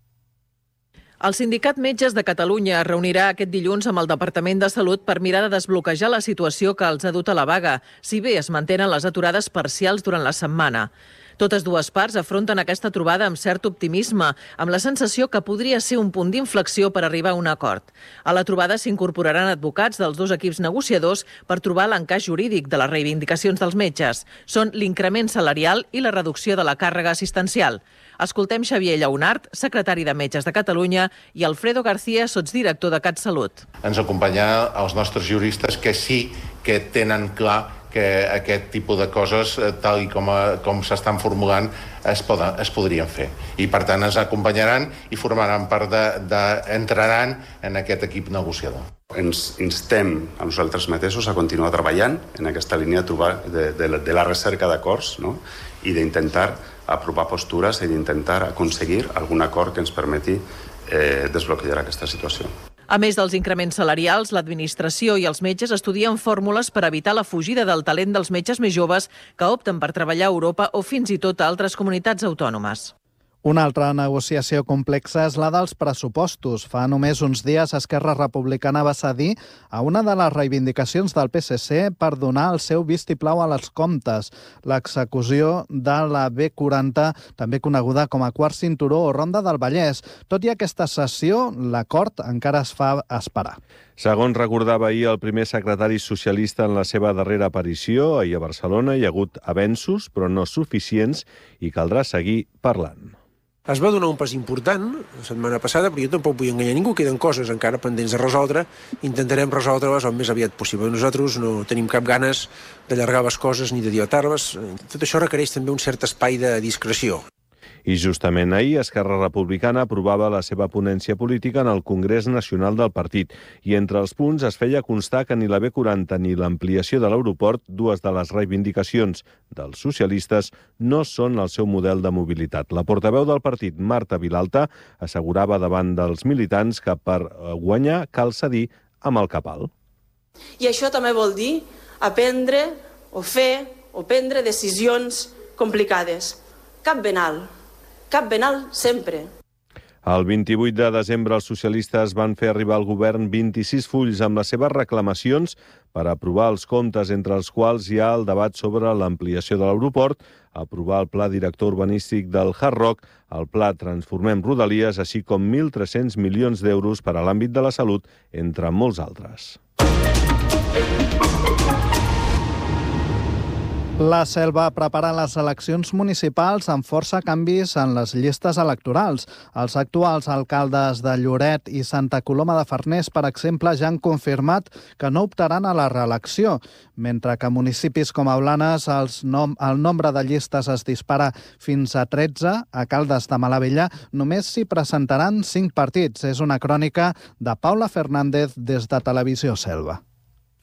El Sindicat Metges de Catalunya es reunirà aquest dilluns amb el Departament de Salut per mirar de desbloquejar la situació que els ha dut a la vaga, si bé es mantenen les aturades parcials durant la setmana. Totes dues parts afronten aquesta trobada amb cert optimisme, amb la sensació que podria ser un punt d'inflexió per arribar a un acord. A la trobada s'incorporaran advocats dels dos equips negociadors per trobar l'encaix jurídic de les reivindicacions dels metges. Són l'increment salarial i la reducció de la càrrega assistencial. Escoltem Xavier Lleonart, secretari de Metges de Catalunya, i Alfredo García, sotsdirector de CatSalut. Ens acompanyen els nostres juristes que sí que tenen clar que aquest tipus de coses, tal i com, com s'estan formulant, es, poden, es podrien fer. I, per tant, ens acompanyaran i formaran part de, de, entraran en aquest equip negociador. Ens instem a nosaltres mateixos a continuar treballant en aquesta línia de, trobar, de, de, de la recerca d'acords, no? I d'intentar aprovar postures i d'intentar aconseguir algun acord que ens permeti eh, desbloquejar aquesta situació. A més dels increments salarials, l'administració i els metges estudien fórmules per evitar la fugida del talent dels metges més joves que opten per treballar a Europa o fins i tot a altres comunitats autònomes. Una altra negociació complexa és la dels pressupostos. Fa només uns dies Esquerra Republicana va cedir a una de les reivindicacions del P S C per donar el seu vistiplau a les comptes, l'execució de la B quaranta, també coneguda com a quart cinturó o Ronda del Vallès. Tot i aquesta sessió, l'acord encara es fa esperar. Segons recordava ahir el primer secretari socialista en la seva darrera aparició, ahir a Barcelona hi ha hagut avenços, però no suficients, i caldrà seguir parlant. Es va donar un pas important la setmana passada, però jo tampoc vull enganyar ningú, queden coses encara pendents de resoldre, intentarem resoldre-les el més aviat possible. Nosaltres no tenim cap ganes d'allargar les coses ni de dilatar-les. Tot això requereix també un cert espai de discreció. I justament ahir Esquerra Republicana aprovava la seva ponència política en el Congrés Nacional del partit i entre els punts es feia constar que ni la B quaranta ni l'ampliació de l'aeroport, dues de les reivindicacions dels socialistes, no són el seu model de mobilitat. La portaveu del partit, Marta Vilalta, assegurava davant dels militants que per guanyar cal cedir amb el cap alt. I això també vol dir aprendre o fer o prendre decisions complicades. Cap ben alt. Cap ben alt sempre. El vint-i-vuit de desembre els socialistes van fer arribar al govern vint-i-sis fulls amb les seves reclamacions per aprovar els comptes, entre els quals hi ha el debat sobre l'ampliació de l'aeroport, aprovar el pla director urbanístic del Hard Rock, el pla Transformem Rodalies, així com mil tres-cents milions d'euros per a l'àmbit de la salut, entre molts altres. La Selva prepara les eleccions municipals amb força canvis en les llistes electorals. Els actuals alcaldes de Lloret i Santa Coloma de Farners, per exemple, ja han confirmat que no optaran a la reelecció, mentre que a municipis com a Blanes els nom el nombre de llistes es dispara fins a tretze. A Caldes de Malavella només s'hi presentaran cinc partits. És una crònica de Paula Fernández des de Televisió Selva.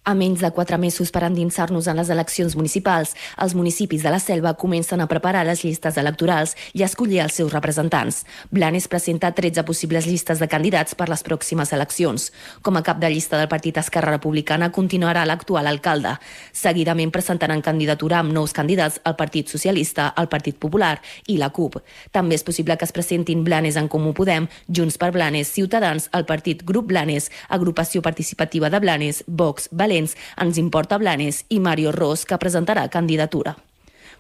A menys de quatre mesos per endinsar-nos en les eleccions municipals, els municipis de la Selva comencen a preparar les llistes electorals i a escollir els seus representants. Blanes presenta tretze possibles llistes de candidats per les pròximes eleccions. Com a cap de llista del partit Esquerra Republicana continuarà l'actual alcalde. Seguidament presentaran candidatura amb nous candidats al Partit Socialista, el Partit Popular i la CUP. També és possible que es presentin Blanes en Comú Podem, Junts per Blanes, Ciutadans, el Partit Grup Blanes, Agrupació Participativa de Blanes, Vox, Valents, Ens Importa Blanes i Mario Ros, que presentarà candidatura.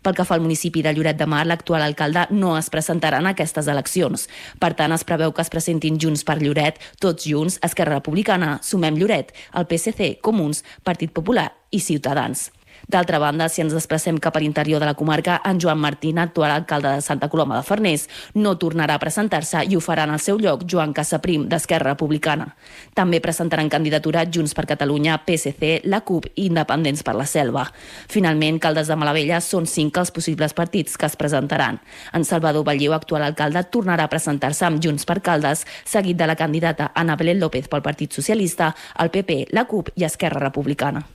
Pel que fa al municipi de Lloret de Mar, l'actual alcalde no es presentarà en aquestes eleccions. Per tant, es preveu que es presentin Junts per Lloret, Tots Junts, Esquerra Republicana, Sumem Lloret, el P S C, Comuns, Partit Popular i Ciutadans. D'altra banda, si ens desplacem cap a l'interior de la comarca, en Joan Martín, actual alcalde de Santa Coloma de Farners, no tornarà a presentar-se i ho farà en el seu lloc Joan Casaprim, d'Esquerra Republicana. També presentaran candidatura Junts per Catalunya, P S C, la CUP i Independents per la Selva. Finalment, Caldes de Malavella són cinc els possibles partits que es presentaran. En Salvador Batlleu, actual alcalde, tornarà a presentar-se amb Junts per Caldes, seguit de la candidata Ana Belén López pel Partit Socialista, el P P, la CUP i Esquerra Republicana.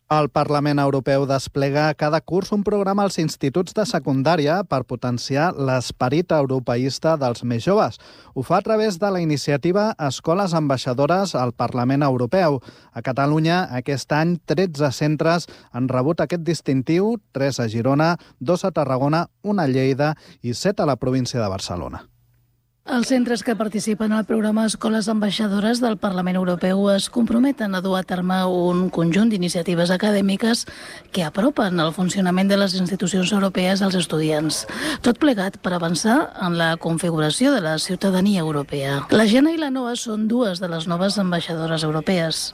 El Parlament Europeu desplega cada curs un programa als instituts de secundària per potenciar l'esperit europeista dels més joves. Ho fa a través de la iniciativa Escoles Ambaixadores al Parlament Europeu. A Catalunya, aquest any, tretze centres han rebut aquest distintiu, tres a Girona, dos a Tarragona, un a Lleida i set a la província de Barcelona. Els centres que participen al programa Escoles Ambaixadores del Parlament Europeu es comprometen a dur a terme un conjunt d'iniciatives acadèmiques que apropen el funcionament de les institucions europees als estudiants. Tot plegat per avançar en la configuració de la ciutadania europea. La Jana i la Noa són dues de les noves ambaixadores europees.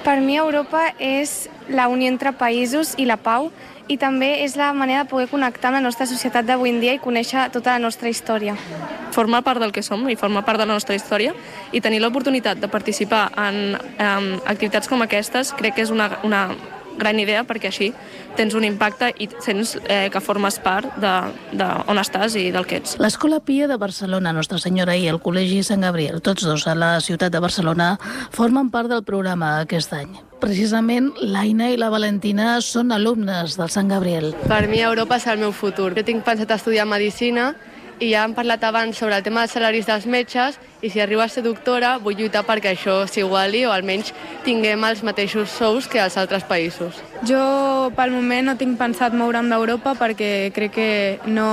Per mi Europa és la unió entre països i la pau, i també és la manera de poder connectar amb la nostra societat d'avui en dia i conèixer tota la nostra història. Formar part del que som i formar part de la nostra història i tenir l'oportunitat de participar en, en activitats com aquestes crec que és una, una gran idea, perquè així tens un impacte i sents eh, que formes part de, de on estàs i del que ets. L'Escola Pia de Barcelona, Nostra Senyora, i el Col·legi Sant Gabriel, tots dos a la ciutat de Barcelona, formen part del programa aquest any. Precisament, l'Aina i la Valentina són alumnes del Sant Gabriel. Per mi Europa és el meu futur. Jo tinc pensat estudiar Medicina i ja hem parlat abans sobre el tema dels salaris dels metges i si arribo a ser doctora vull lluitar perquè això s'iguali o almenys tinguem els mateixos sous que als altres països. Jo pel moment no tinc pensat moure'm d'Europa perquè crec que no,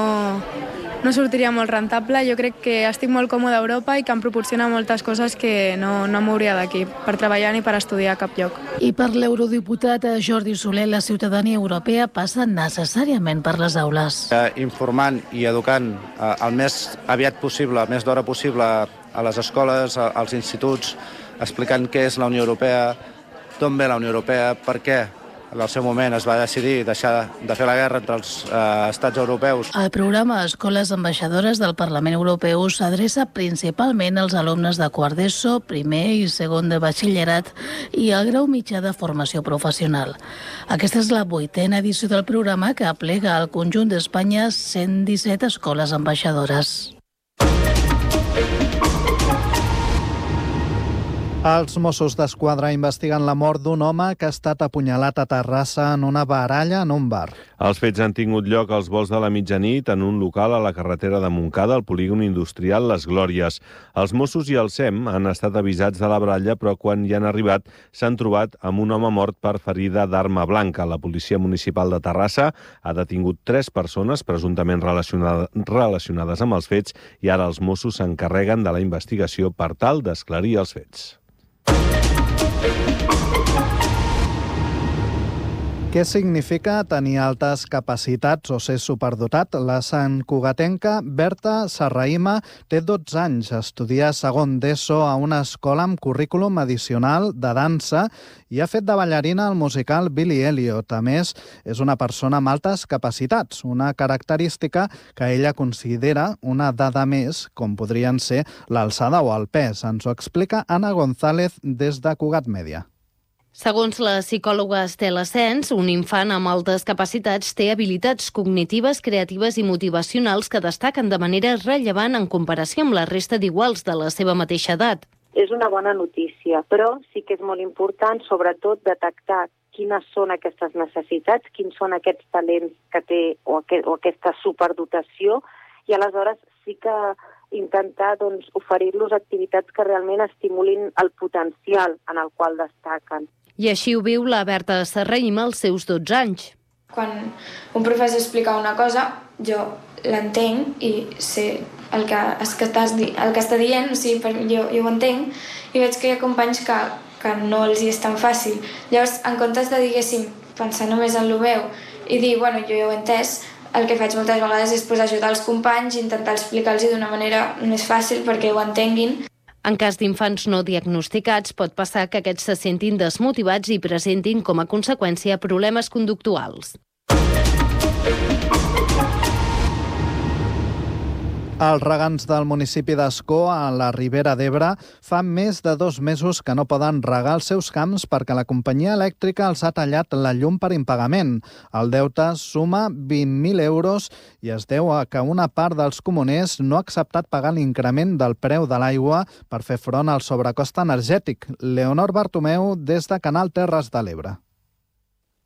no sortiria molt rentable. Jo crec que estic molt còmode a Europa i que em proporciona moltes coses que no, no m'hauria d'aquí per treballar ni per estudiar a cap lloc. I per l'eurodiputat Jordi Soler, la ciutadania europea passa necessàriament per les aules. Eh, informant i educant eh, el més aviat possible, el més d'hora possible a les escoles, als instituts, explicant què és la Unió Europea, d'on ve la Unió Europea, per què en el seu moment es va decidir deixar de fer la guerra entre els eh, estats europeus. El programa Escoles Ambaixadores del Parlament Europeu s'adreça principalment als alumnes de quart d'ESO, primer i segon de batxillerat i el grau mitjà de formació professional. Aquesta és la vuitena edició del programa que aplega al conjunt d'Espanya cent disset escoles ambaixadores. Els Mossos d'Esquadra investiguen la mort d'un home que ha estat apunyalat a Terrassa en una baralla en un bar. Els fets han tingut lloc als volts de la mitjanit en un local a la carretera de Montcada, al polígon industrial Les Glòries. Els Mossos i el S E M han estat avisats de la baralla, però quan hi han arribat s'han trobat amb un home mort per ferida d'arma blanca. La policia municipal de Terrassa ha detingut tres persones presumptament relacionades, relacionades amb els fets i ara els Mossos s'encarreguen de la investigació per tal d'esclarir els fets. Què significa tenir altes capacitats o ser superdotat? La santcugatenca Berta Serraïma té dotze anys, estudia segon d'ESO a una escola amb currículum addicional de dansa i ha fet de ballarina al musical Billy Elliot. A més, és una persona amb altes capacitats, una característica que ella considera una dada més, com podrien ser l'alçada o el pes. Ens ho explica Anna González des de Cugat Mèdia. Segons la psicòloga Estela Sens, un infant amb altes capacitats té habilitats cognitives, creatives i motivacionals que destaquen de manera rellevant en comparació amb la resta d'iguals de la seva mateixa edat. és una bona notícia, però sí que és molt important, sobretot, detectar quines són aquestes necessitats, quins són aquests talents que té o, aquest, o aquesta superdotació, i aleshores sí que intentar doncs, oferir-los activitats que realment estimulin el potencial en el qual destaquen. I així ho viu la Berta Serraïm als seus dotze anys. Quan un professor explica una cosa, jo l'entenc i sé el que, el que està dient, o sigui, jo, jo ho entenc, i veig que hi ha companys que, que no els hi és tan fàcil. Llavors, en comptes de, diguéssim, pensar només en el meu i dir, bueno, jo ja ho he entès, el que faig moltes vegades és pues, ajudar els companys i intentar explicar-los d'una manera més fàcil perquè ho entenguin. En cas d'infants no diagnosticats, pot passar que aquests se sentin desmotivats i presentin com a conseqüència problemes conductuals. Els regants del municipi d'Ascó, a la Ribera d'Ebre, fa més de dos mesos que no poden regar els seus camps perquè la companyia elèctrica els ha tallat la llum per impagament. El deute suma vint mil euros i es deu a que una part dels comuners no ha acceptat pagar l'increment del preu de l'aigua per fer front al sobrecost energètic. Leonor Bartomeu, des de Canal Terres de l'Ebre.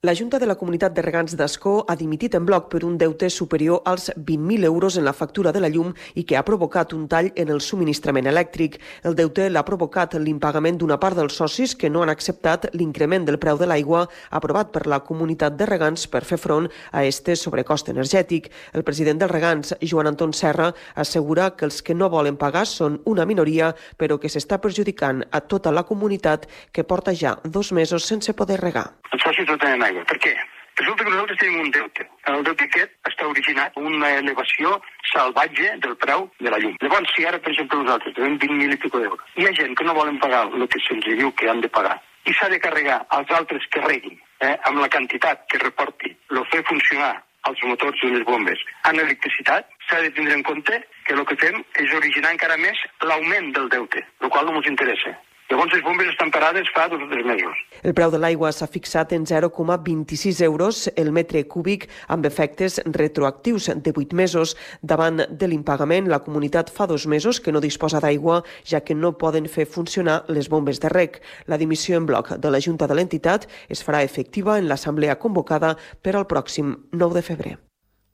La Junta de la Comunitat de Regants d'Ascó ha dimitit en bloc per un deute superior als vint mil euros en la factura de la llum i que ha provocat un tall en el subministrament elèctric. El deute l'ha provocat l'impagament d'una part dels socis que no han acceptat l'increment del preu de l'aigua aprovat per la Comunitat de Regants per fer front a este sobrecost energètic. El president dels Regants, Joan Anton Serra, assegura que els que no volen pagar són una minoria, però que s'està perjudicant a tota la comunitat que porta ja dos mesos sense poder regar. Els socis no tenen aigua. Per què? Resulta que nosaltres tenim un deute. El deute aquest està originat una elevació salvatge del preu de la llum. Llavors, si ara, per exemple, nosaltres tenim vint mil i pico d'euros, hi ha gent que no volen pagar el que se'ns diu que han de pagar i s'ha de carregar als altres que reguin eh, amb la quantitat que reporti el fer funcionar els motors i les bombes en electricitat, s'ha de tindre en compte que el que fem és originar encara més l'augment del deute, el qual no ens interessa. Llavors, les bombes estan parades fa dos o tres mesos. El preu de l'aigua s'ha fixat en zero coma vint-i-sis euros el metre cúbic amb efectes retroactius de vuit mesos. Davant de l'impagament, la comunitat fa dos mesos que no disposa d'aigua, ja que no poden fer funcionar les bombes de reg. La dimissió en bloc de la Junta de l'entitat es farà efectiva en l'assemblea convocada per al pròxim nou de febrer.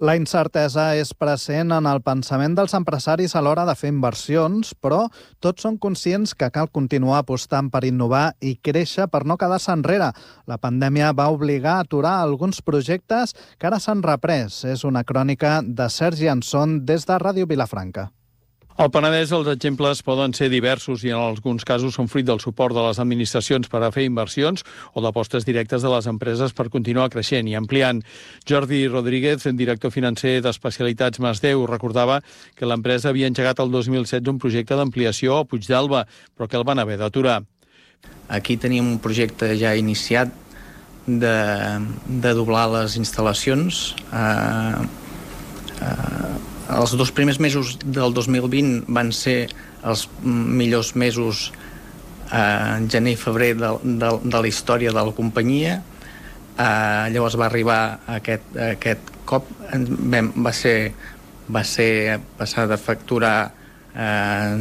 La incertesa és present en el pensament dels empresaris a l'hora de fer inversions, però tots són conscients que cal continuar apostant per innovar i créixer per no quedar-se enrere. La pandèmia va obligar a aturar alguns projectes que ara s'han reprès. És una crònica de Sergi Anson des de Ràdio Vilafranca. Al Penedès els exemples poden ser diversos i en alguns casos són fruit del suport de les administracions per a fer inversions o d'apostes directes de les empreses per continuar creixent i ampliant. Jordi Rodríguez, director financer d'Especialitats Masdeu, recordava que l'empresa havia engegat el dos mil setze un projecte d'ampliació a Puigdàlber, però que el van haver d'aturar. Aquí teníem un projecte ja iniciat de, de doblar les instal·lacions. Eh, eh, Els dos primers mesos del dos mil vint van ser els millors mesos eh, gener i febrer de, de, de la història de la companyia. Eh, llavors va arribar aquest, aquest cop, vam, va, ser, va ser passar de facturar Eh,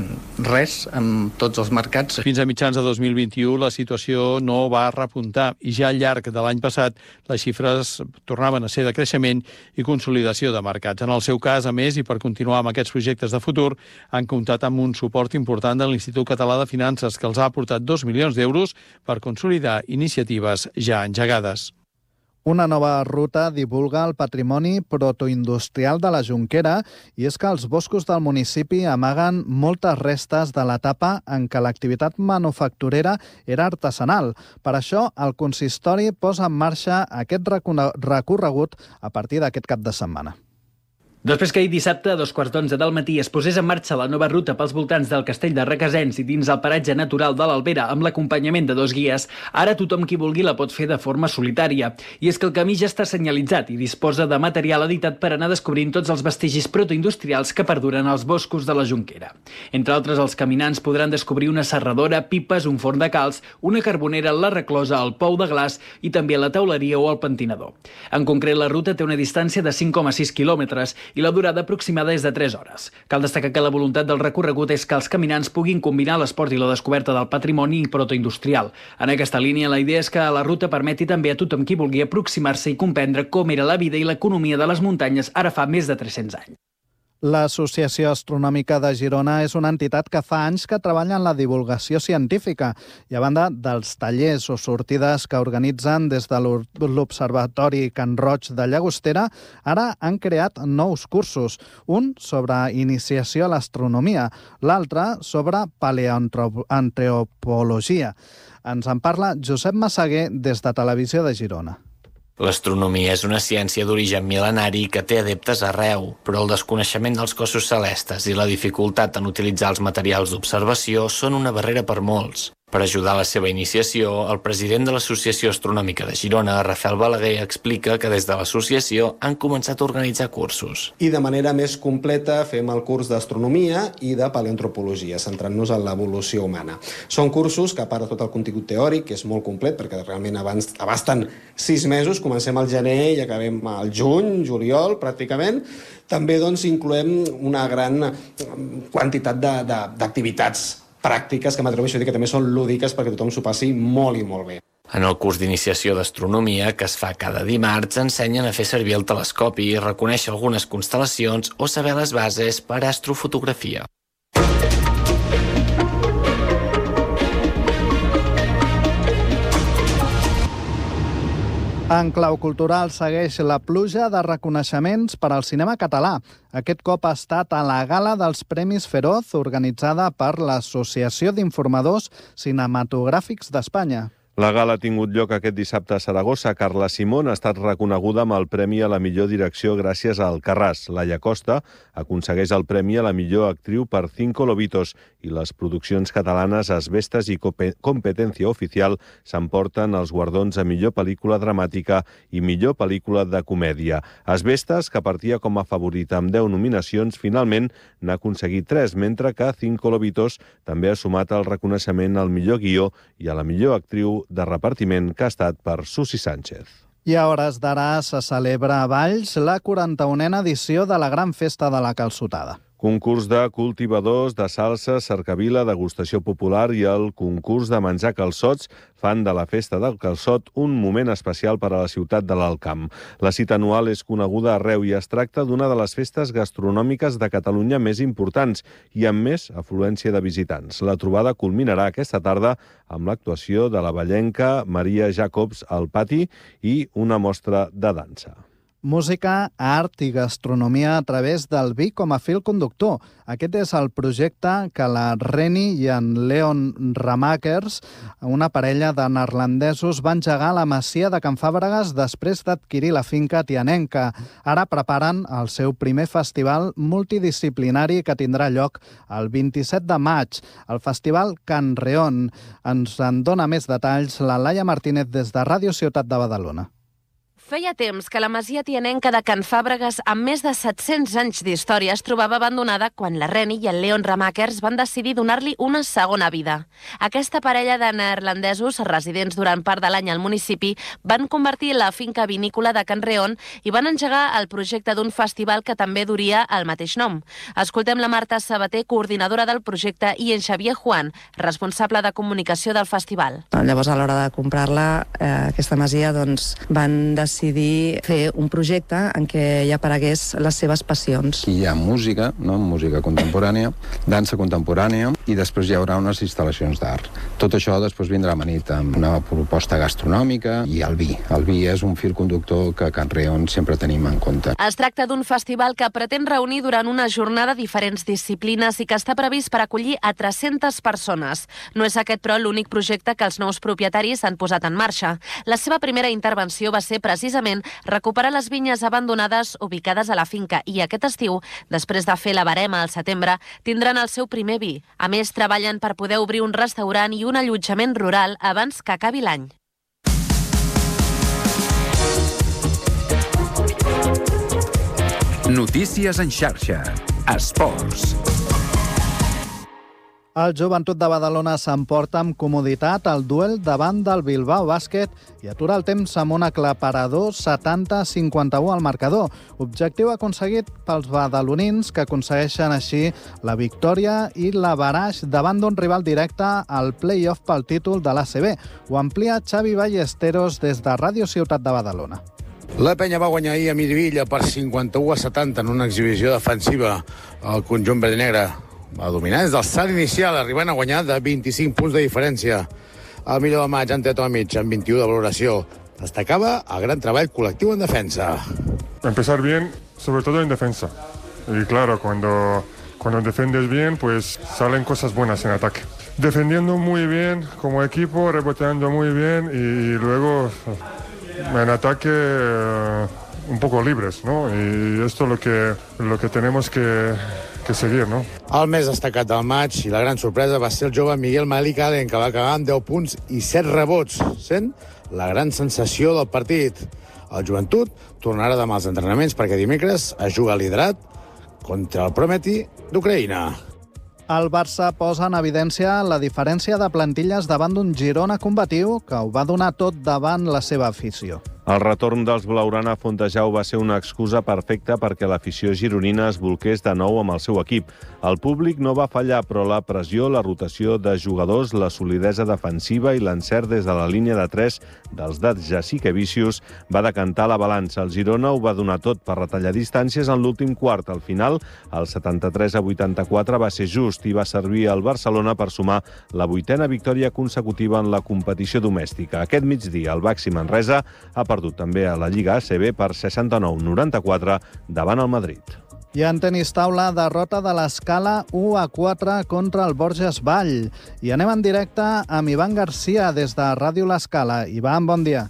res amb tots els mercats. Fins a mitjans de dos mil vint-i-u la situació no va repuntar i ja al llarg de l'any passat les xifres tornaven a ser de creixement i consolidació de mercats. En el seu cas, a més, i per continuar amb aquests projectes de futur, han comptat amb un suport important de l'Institut Català de Finances que els ha aportat dos milions d'euros per consolidar iniciatives ja engegades. Una nova ruta divulga el patrimoni protoindustrial de la Jonquera i és que els boscos del municipi amaguen moltes restes de l'etapa en què l'activitat manufacturera era artesanal. Per això, el consistori posa en marxa aquest recorregut a partir d'aquest cap de setmana. Després que ahir dissabte, a dos quarts d'onze del matí, es posés en marxa la nova ruta pels voltants del castell de Requesens i dins el paratge natural de l'Albera amb l'acompanyament de dos guies, ara tothom qui vulgui la pot fer de forma solitària. I és que el camí ja està senyalitzat i disposa de material editat per anar descobrint tots els vestigis protoindustrials que perduren als boscos de la Jonquera. Entre altres, els caminants podran descobrir una serradora, pipes, un forn de calç, una carbonera, la reclosa, el pou de glaç i també la teuleria o el pentinador. En concret, la ruta té una distància de cinc coma sis quilòmetres i la durada aproximada és de tres hores. Cal destacar que la voluntat del recorregut és que els caminants puguin combinar l'esport i la descoberta del patrimoni protoindustrial. En aquesta línia, la idea és que la ruta permeti també a tothom qui vulgui aproximar-se i comprendre com era la vida i l'economia de les muntanyes ara fa més de tres-cents anys. L'Associació Astronòmica de Girona és una entitat que fa anys que treballa en la divulgació científica i a banda dels tallers o sortides que organitzen des de l'Observatori Can Roig de Llagostera, ara han creat nous cursos, un sobre iniciació a l'astronomia, l'altre sobre paleoantropologia. Ens en parla Josep Massaguer des de Televisió de Girona. L'astronomia és una ciència d'origen mil·lenari que té adeptes arreu, però el desconeixement dels cossos celestes i la dificultat en utilitzar els materials d'observació són una barrera per molts. Per ajudar a la seva iniciació, el president de l'Associació Astronòmica de Girona, Rafael Balaguer, explica que des de l'associació han començat a organitzar cursos. I de manera més completa fem el curs d'astronomia i de paleoantropologia, centrant-nos en l'evolució humana. Són cursos que, a part de tot el contingut teòric, que és molt complet, perquè realment abans abasten sis mesos, comencem al gener i acabem al juny, juliol, pràcticament, també doncs, incloem una gran quantitat d'activitats pràctiques que m'atreveixo a dir que també són lúdiques perquè tothom s'ho passi molt i molt bé. En el curs d'iniciació d'astronomia, que es fa cada dimarts, ensenyen a fer servir el telescopi, reconèixer algunes constel·lacions o saber les bases per a astrofotografia. En clau cultural segueix la pluja de reconeixements per al cinema català. Aquest cop ha estat a la gala dels Premis Feroz, organitzada per l'Associació d'Informadors Cinematogràfics d'Espanya. La gala ha tingut lloc aquest dissabte a Saragossa. Carla Simón ha estat reconeguda amb el Premi a la millor direcció gràcies a Alcarràs. Laia Costa aconsegueix el Premi a la millor actriu per Cinco Lobitos i les produccions catalanes Asbestas i Competencia Oficial s'emporten els guardons a millor pel·lícula dramàtica i millor pel·lícula de comèdia. Asbestas, que partia com a favorita amb deu nominacions, finalment n'ha aconseguit tres, mentre que Cinco Lobitos també ha sumat el reconeixement al millor guió i a la millor actriu de repartiment, que ha estat per Susi Sánchez. I a hores d'ara se celebra a Valls la quaranta-unena edició de la Gran Festa de la Calçotada. Concurs de cultivadors de salsa, cercavila, degustació popular i el concurs de menjar calçots fan de la Festa del Calçot un moment especial per a la ciutat de l'Alt Camp. La cita anual és coneguda arreu i es tracta d'una de les festes gastronòmiques de Catalunya més importants i amb més afluència de visitants. La trobada culminarà aquesta tarda amb l'actuació de la vallenca Maria Jacobs al pati i una mostra de dansa. Música, art i gastronomia a través del vi com a fil conductor. Aquest és el projecte que la Reni i en Leon Ramakers, una parella de neerlandesos, van engegar a la masia de Can Fàbregas després d'adquirir la finca tianenca. Ara preparen el seu primer festival multidisciplinari que tindrà lloc el vint-i-set de maig, el Festival Can Reon. Ens en dona més detalls la Laia Martínez des de Ràdio Ciutat de Badalona. Feia temps que la masia tianenca de Can Fàbregas, amb més de set-cents anys d'història, es trobava abandonada quan la Reni i el Leon Ramakers van decidir donar-li una segona vida. Aquesta parella de neerlandesos, residents durant part de l'any al municipi, van convertir la finca vinícola de Can Reon i van engegar el projecte d'un festival que també duria el mateix nom. Escoltem la Marta Sabater, coordinadora del projecte, i en Xavier Juan, responsable de comunicació del festival. Llavors, a l'hora de comprar-la, eh, aquesta masia, doncs, van decidir decidir fer un projecte en què hi aparegués les seves passions. Hi ha música, no? Música contemporània, dansa contemporània i després hi haurà unes instal·lacions d'art. Tot això després vindrà amanit amb una proposta gastronòmica i el vi. El vi és un fil conductor que a Can Reon sempre tenim en compte. Es tracta d'un festival que pretén reunir durant una jornada diferents disciplines i que està previst per acollir a tres-centes persones. No és aquest, però, l'únic projecte que els nous propietaris han posat en marxa. La seva primera intervenció va ser precisament recuperar les vinyes abandonades ubicades a la finca i aquest estiu, després de fer la barema al setembre, tindran el seu primer vi. A més, treballen per poder obrir un restaurant i un allotjament rural abans que acabi l'any. Notícies en xarxa. Esports. El Joventut de Badalona s'emporta amb comoditat el duel davant del Bilbao Bàsquet i atura el temps amb un aclaparador setanta a cinquanta-u al marcador. Objectiu aconseguit pels badalonins, que aconsegueixen així la victòria i l'averaix davant d'un rival directe al play-off pel títol de l'A C B. Ho amplia Xavi Ballesteros des de Ràdio Ciutat de Badalona. La penya va guanyar ahir a Mirivilla per cinquanta-u a setanta en una exhibició defensiva. El conjunt verd i negre va dominar des del salt inicial, arribant a guanyar de vint-i-cinc punts de diferència. El millor de maig, Ante Tomic, amb vint-i-u de valoració. Destacava el gran treball col·lectiu en defensa. Empezar bien, sobre todo en defensa. Y claro, cuando, cuando defiendes bien, pues salen cosas buenas en ataque. Defendiendo muy bien como equipo, reboteando muy bien y, y luego en ataque uh, un poco libres, ¿no? Y esto es lo que, lo que tenemos que... que seguir, no? El més destacat del maig i la gran sorpresa va ser el jove Miguel Malik Allen, que va acabar amb deu punts i set rebots, sent la gran sensació del partit. El Joventut tornarà demà als entrenaments perquè dimecres es juga liderat contra el Prometi d'Ucraïna. El Barça posa en evidència la diferència de plantilles davant d'un Girona combatiu que ho va donar tot davant la seva afició. El retorn dels blaugrana a Fontejau va ser una excusa perfecta perquè l'afició gironina es bolqués de nou amb el seu equip. El públic no va fallar, però la pressió, la rotació de jugadors, la solidesa defensiva i l'encert des de la línia de tres dels de Jessica Vicius va decantar la balança. El Girona ho va donar tot per retallar distàncies en l'últim quart. Al final, el setanta-tres a vuitanta-quatre va ser just i va servir al Barcelona per sumar la vuitena victòria consecutiva en la competició domèstica. Aquest migdia, el Baxi Manresa ha perdut també a la Lliga A C B per seixanta-nou a noranta-quatre davant el Madrid. I en tenis taula, derrota de l'Escala u a quatre contra el Borges Vall. I anem en directe amb Ivan Garcia des de Ràdio l'Escala. Ivan, bon dia.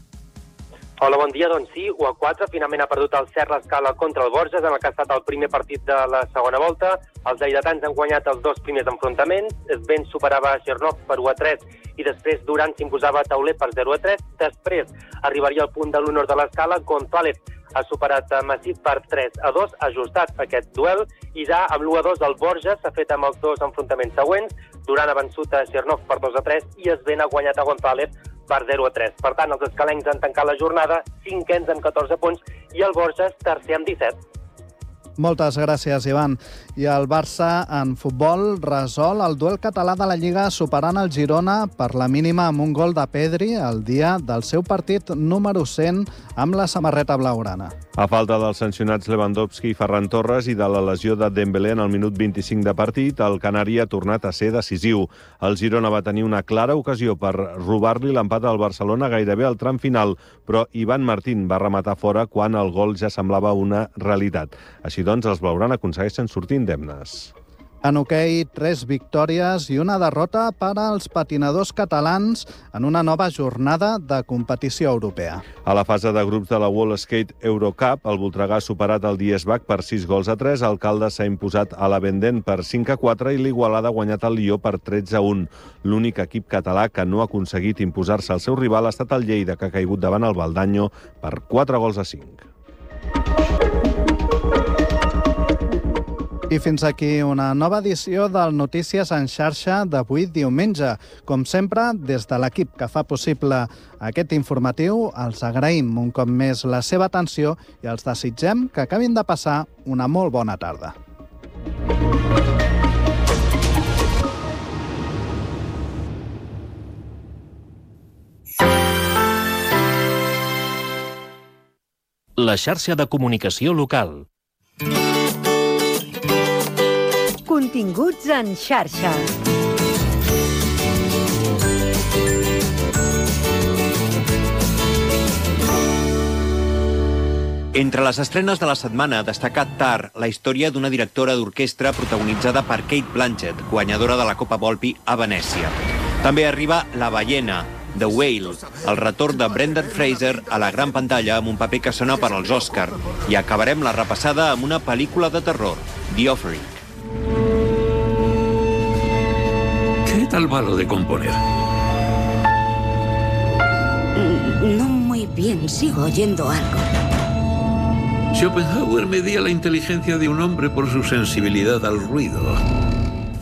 Hola, bon dia. Doncs sí, u a quatre. Finalment ha perdut el Cert l'Escala contra el Borges, en el que ha estat el primer partit de la segona volta. Els lleidatans han guanyat els dos primers enfrontaments. Svens superava a Chernov per u a tres i després Duran s'imposava a Tauler per zero a tres. Després arribaria al punt de l'honor de l'Escala. González ha superat a Massit per tres a dos, ajustat aquest duel, i ja amb l'u a dos el Borges s'ha fet amb els dos enfrontaments següents. Duran ha vençut a Chernov per dos a tres i Svens ha guanyat a González per zero a tres. Per tant, els escalencs han tancat la jornada cinquens amb catorze punts i el Borges tercer amb disset. Moltes gràcies, Ivan. I el Barça, en futbol, resol el duel català de la Lliga superant el Girona per la mínima amb un gol de Pedri el dia del seu partit número cent amb la samarreta blaugrana. A falta dels sancionats Lewandowski i Ferran Torres i de la lesió de Dembélé en el minut vint-i-cinc de partit, el canari ha tornat a ser decisiu. El Girona va tenir una clara ocasió per robar-li l'empat al Barcelona gairebé al tram final, però Ivan Martín va rematar fora quan el gol ja semblava una realitat. Així doncs, els blaugrana aconsegueixen sortir indemnes. En hoquei, tres victòries i una derrota per als patinadors catalans en una nova jornada de competició europea. A la fase de grups de la World Skate Eurocup, el Voltregà ha superat el Diesbach per sis gols a tres, el Caldes s'ha imposat a la Vendent per cinc a quatre i l'Igualada ha guanyat el Lió per tretze a un. L'únic equip català que no ha aconseguit imposar-se al seu rival ha estat el Lleida, que ha caigut davant el Valdanyo per quatre gols a cinc. I fins aquí una nova edició del Notícies en xarxa d'avui diumenge. Com sempre, des de l'equip que fa possible aquest informatiu, els agraïm un cop més la seva atenció i els desitgem que acabin de passar una molt bona tarda. La xarxa de comunicació local. Continguts en xarxa. Entre les estrenes de la setmana ha destacat Tar, la història d'una directora d'orquestra protagonitzada per Kate Blanchett, guanyadora de la Copa Volpi a Venècia. També arriba La ballena, The Whale, el retorn de Brendan Fraser a la gran pantalla amb un paper que sona per als Òscar. I acabarem la repassada amb una pel·lícula de terror, The Offering. ¿Qué tal va lo de componer? No muy bien, sigo oyendo algo. Schopenhauer medía la inteligencia de un hombre por su sensibilidad al ruido.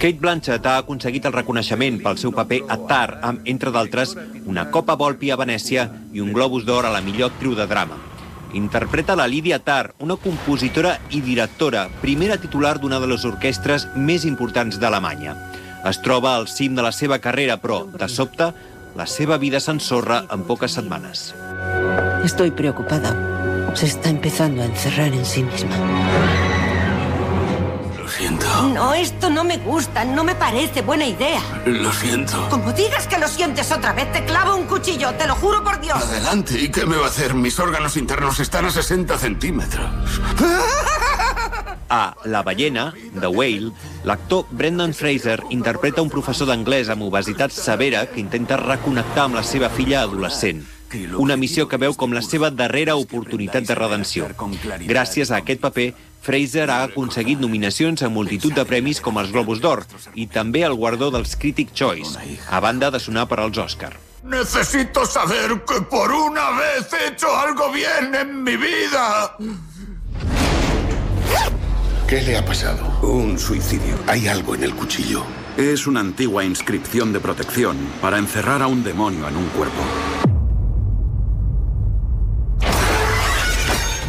Cate Blanchett ha aconseguit el reconeixement pel seu paper a Tar, amb, entre d'altres, una Copa Volpi a Venècia i un Globus d'Or a la millor actriu de drama. Interpreta la Lydia Tar, una compositora i directora, primera titular d'una de les orquestres més importants d'Alemanya. Es troba al cim de la seva carrera, però, de sobte, la seva vida s'ensorra en poques setmanes. Estoy preocupada. Se está empezando a encerrar en sí misma. Lo siento. No, esto no me gusta, no me parece buena idea. Lo siento. Como digas que lo sientes otra vez, te clavo un cuchillo, te lo juro por Dios. Adelante, ¿y qué me va a hacer? Mis órganos internos están a sesenta centímetros. A La ballena, The Whale, l'actor Brendan Fraser interpreta un professor d'anglès amb obesitat severa que intenta reconnectar amb la seva filla adolescent. Una missió que veu com la seva darrera oportunitat de redenció. Gràcies a aquest paper, Fraser ha aconseguit nominacions a multitud de premis com els Globus d'Or i també el guardó dels Critic Choice, a banda de sonar per als Òscar. Necesito saber que por una vez he hecho algo bien en mi vida. ¿Qué le ha pasado? Un suicidio. Hay algo en el cuchillo. Es una antigua inscripción de protección para encerrar a un demonio en un cuerpo.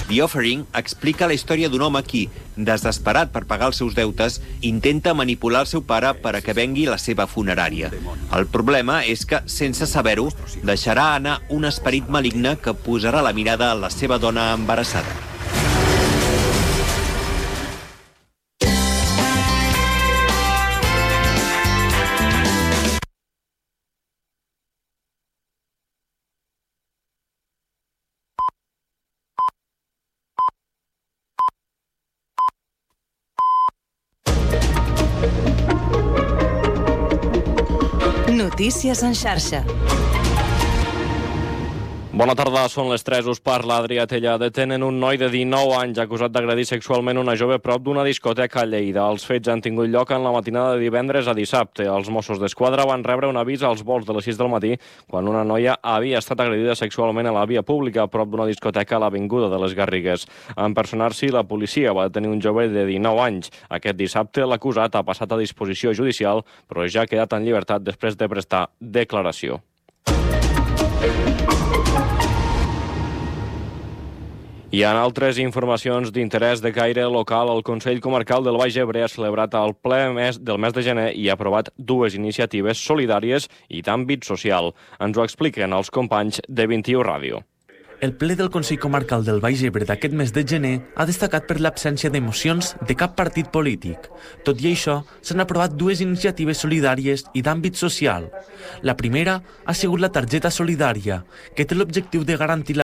The Offering explica la història d'un home qui, desesperat per pagar els seus deutes, intenta manipular el seu pare per a que vengui la seva funerària. El problema és que, sense saber-ho, deixarà anar un esperit maligne que posarà la mirada a la seva dona embarassada. Notícies en xarxa. Bona tarda, són les tres, us parla Adrià Tella. Detenen un noi de dinou anys acusat d'agredir sexualment una jove prop d'una discoteca a Lleida. Els fets han tingut lloc en la matinada de divendres a dissabte. Els Mossos d'Esquadra van rebre un avís als volts de les sis del matí quan una noia havia estat agredida sexualment a la via pública prop d'una discoteca a l'Avinguda de les Garrigues. En personar-s'hi, la policia va detenir un jove de dinou anys. Aquest dissabte l'acusat ha passat a disposició judicial, però ja ha quedat en llibertat després de prestar declaració. I en altres informacions d'interès de caire local, el Consell Comarcal del Baix Ebre ha celebrat el ple mes del mes de gener i ha aprovat dues iniciatives solidàries i d'àmbit social. Ens ho expliquen els companys de vint-i-u Ràdio. El ple del Consell Comarcal del Baix Ebre d'aquest mes de gener ha destacat per l'absència d'emocions de cap partit polític. Tot i això, s'han aprovat dues iniciatives solidàries i d'àmbit social. La primera ha sigut la targeta solidària, que té l'objectiu de garantir la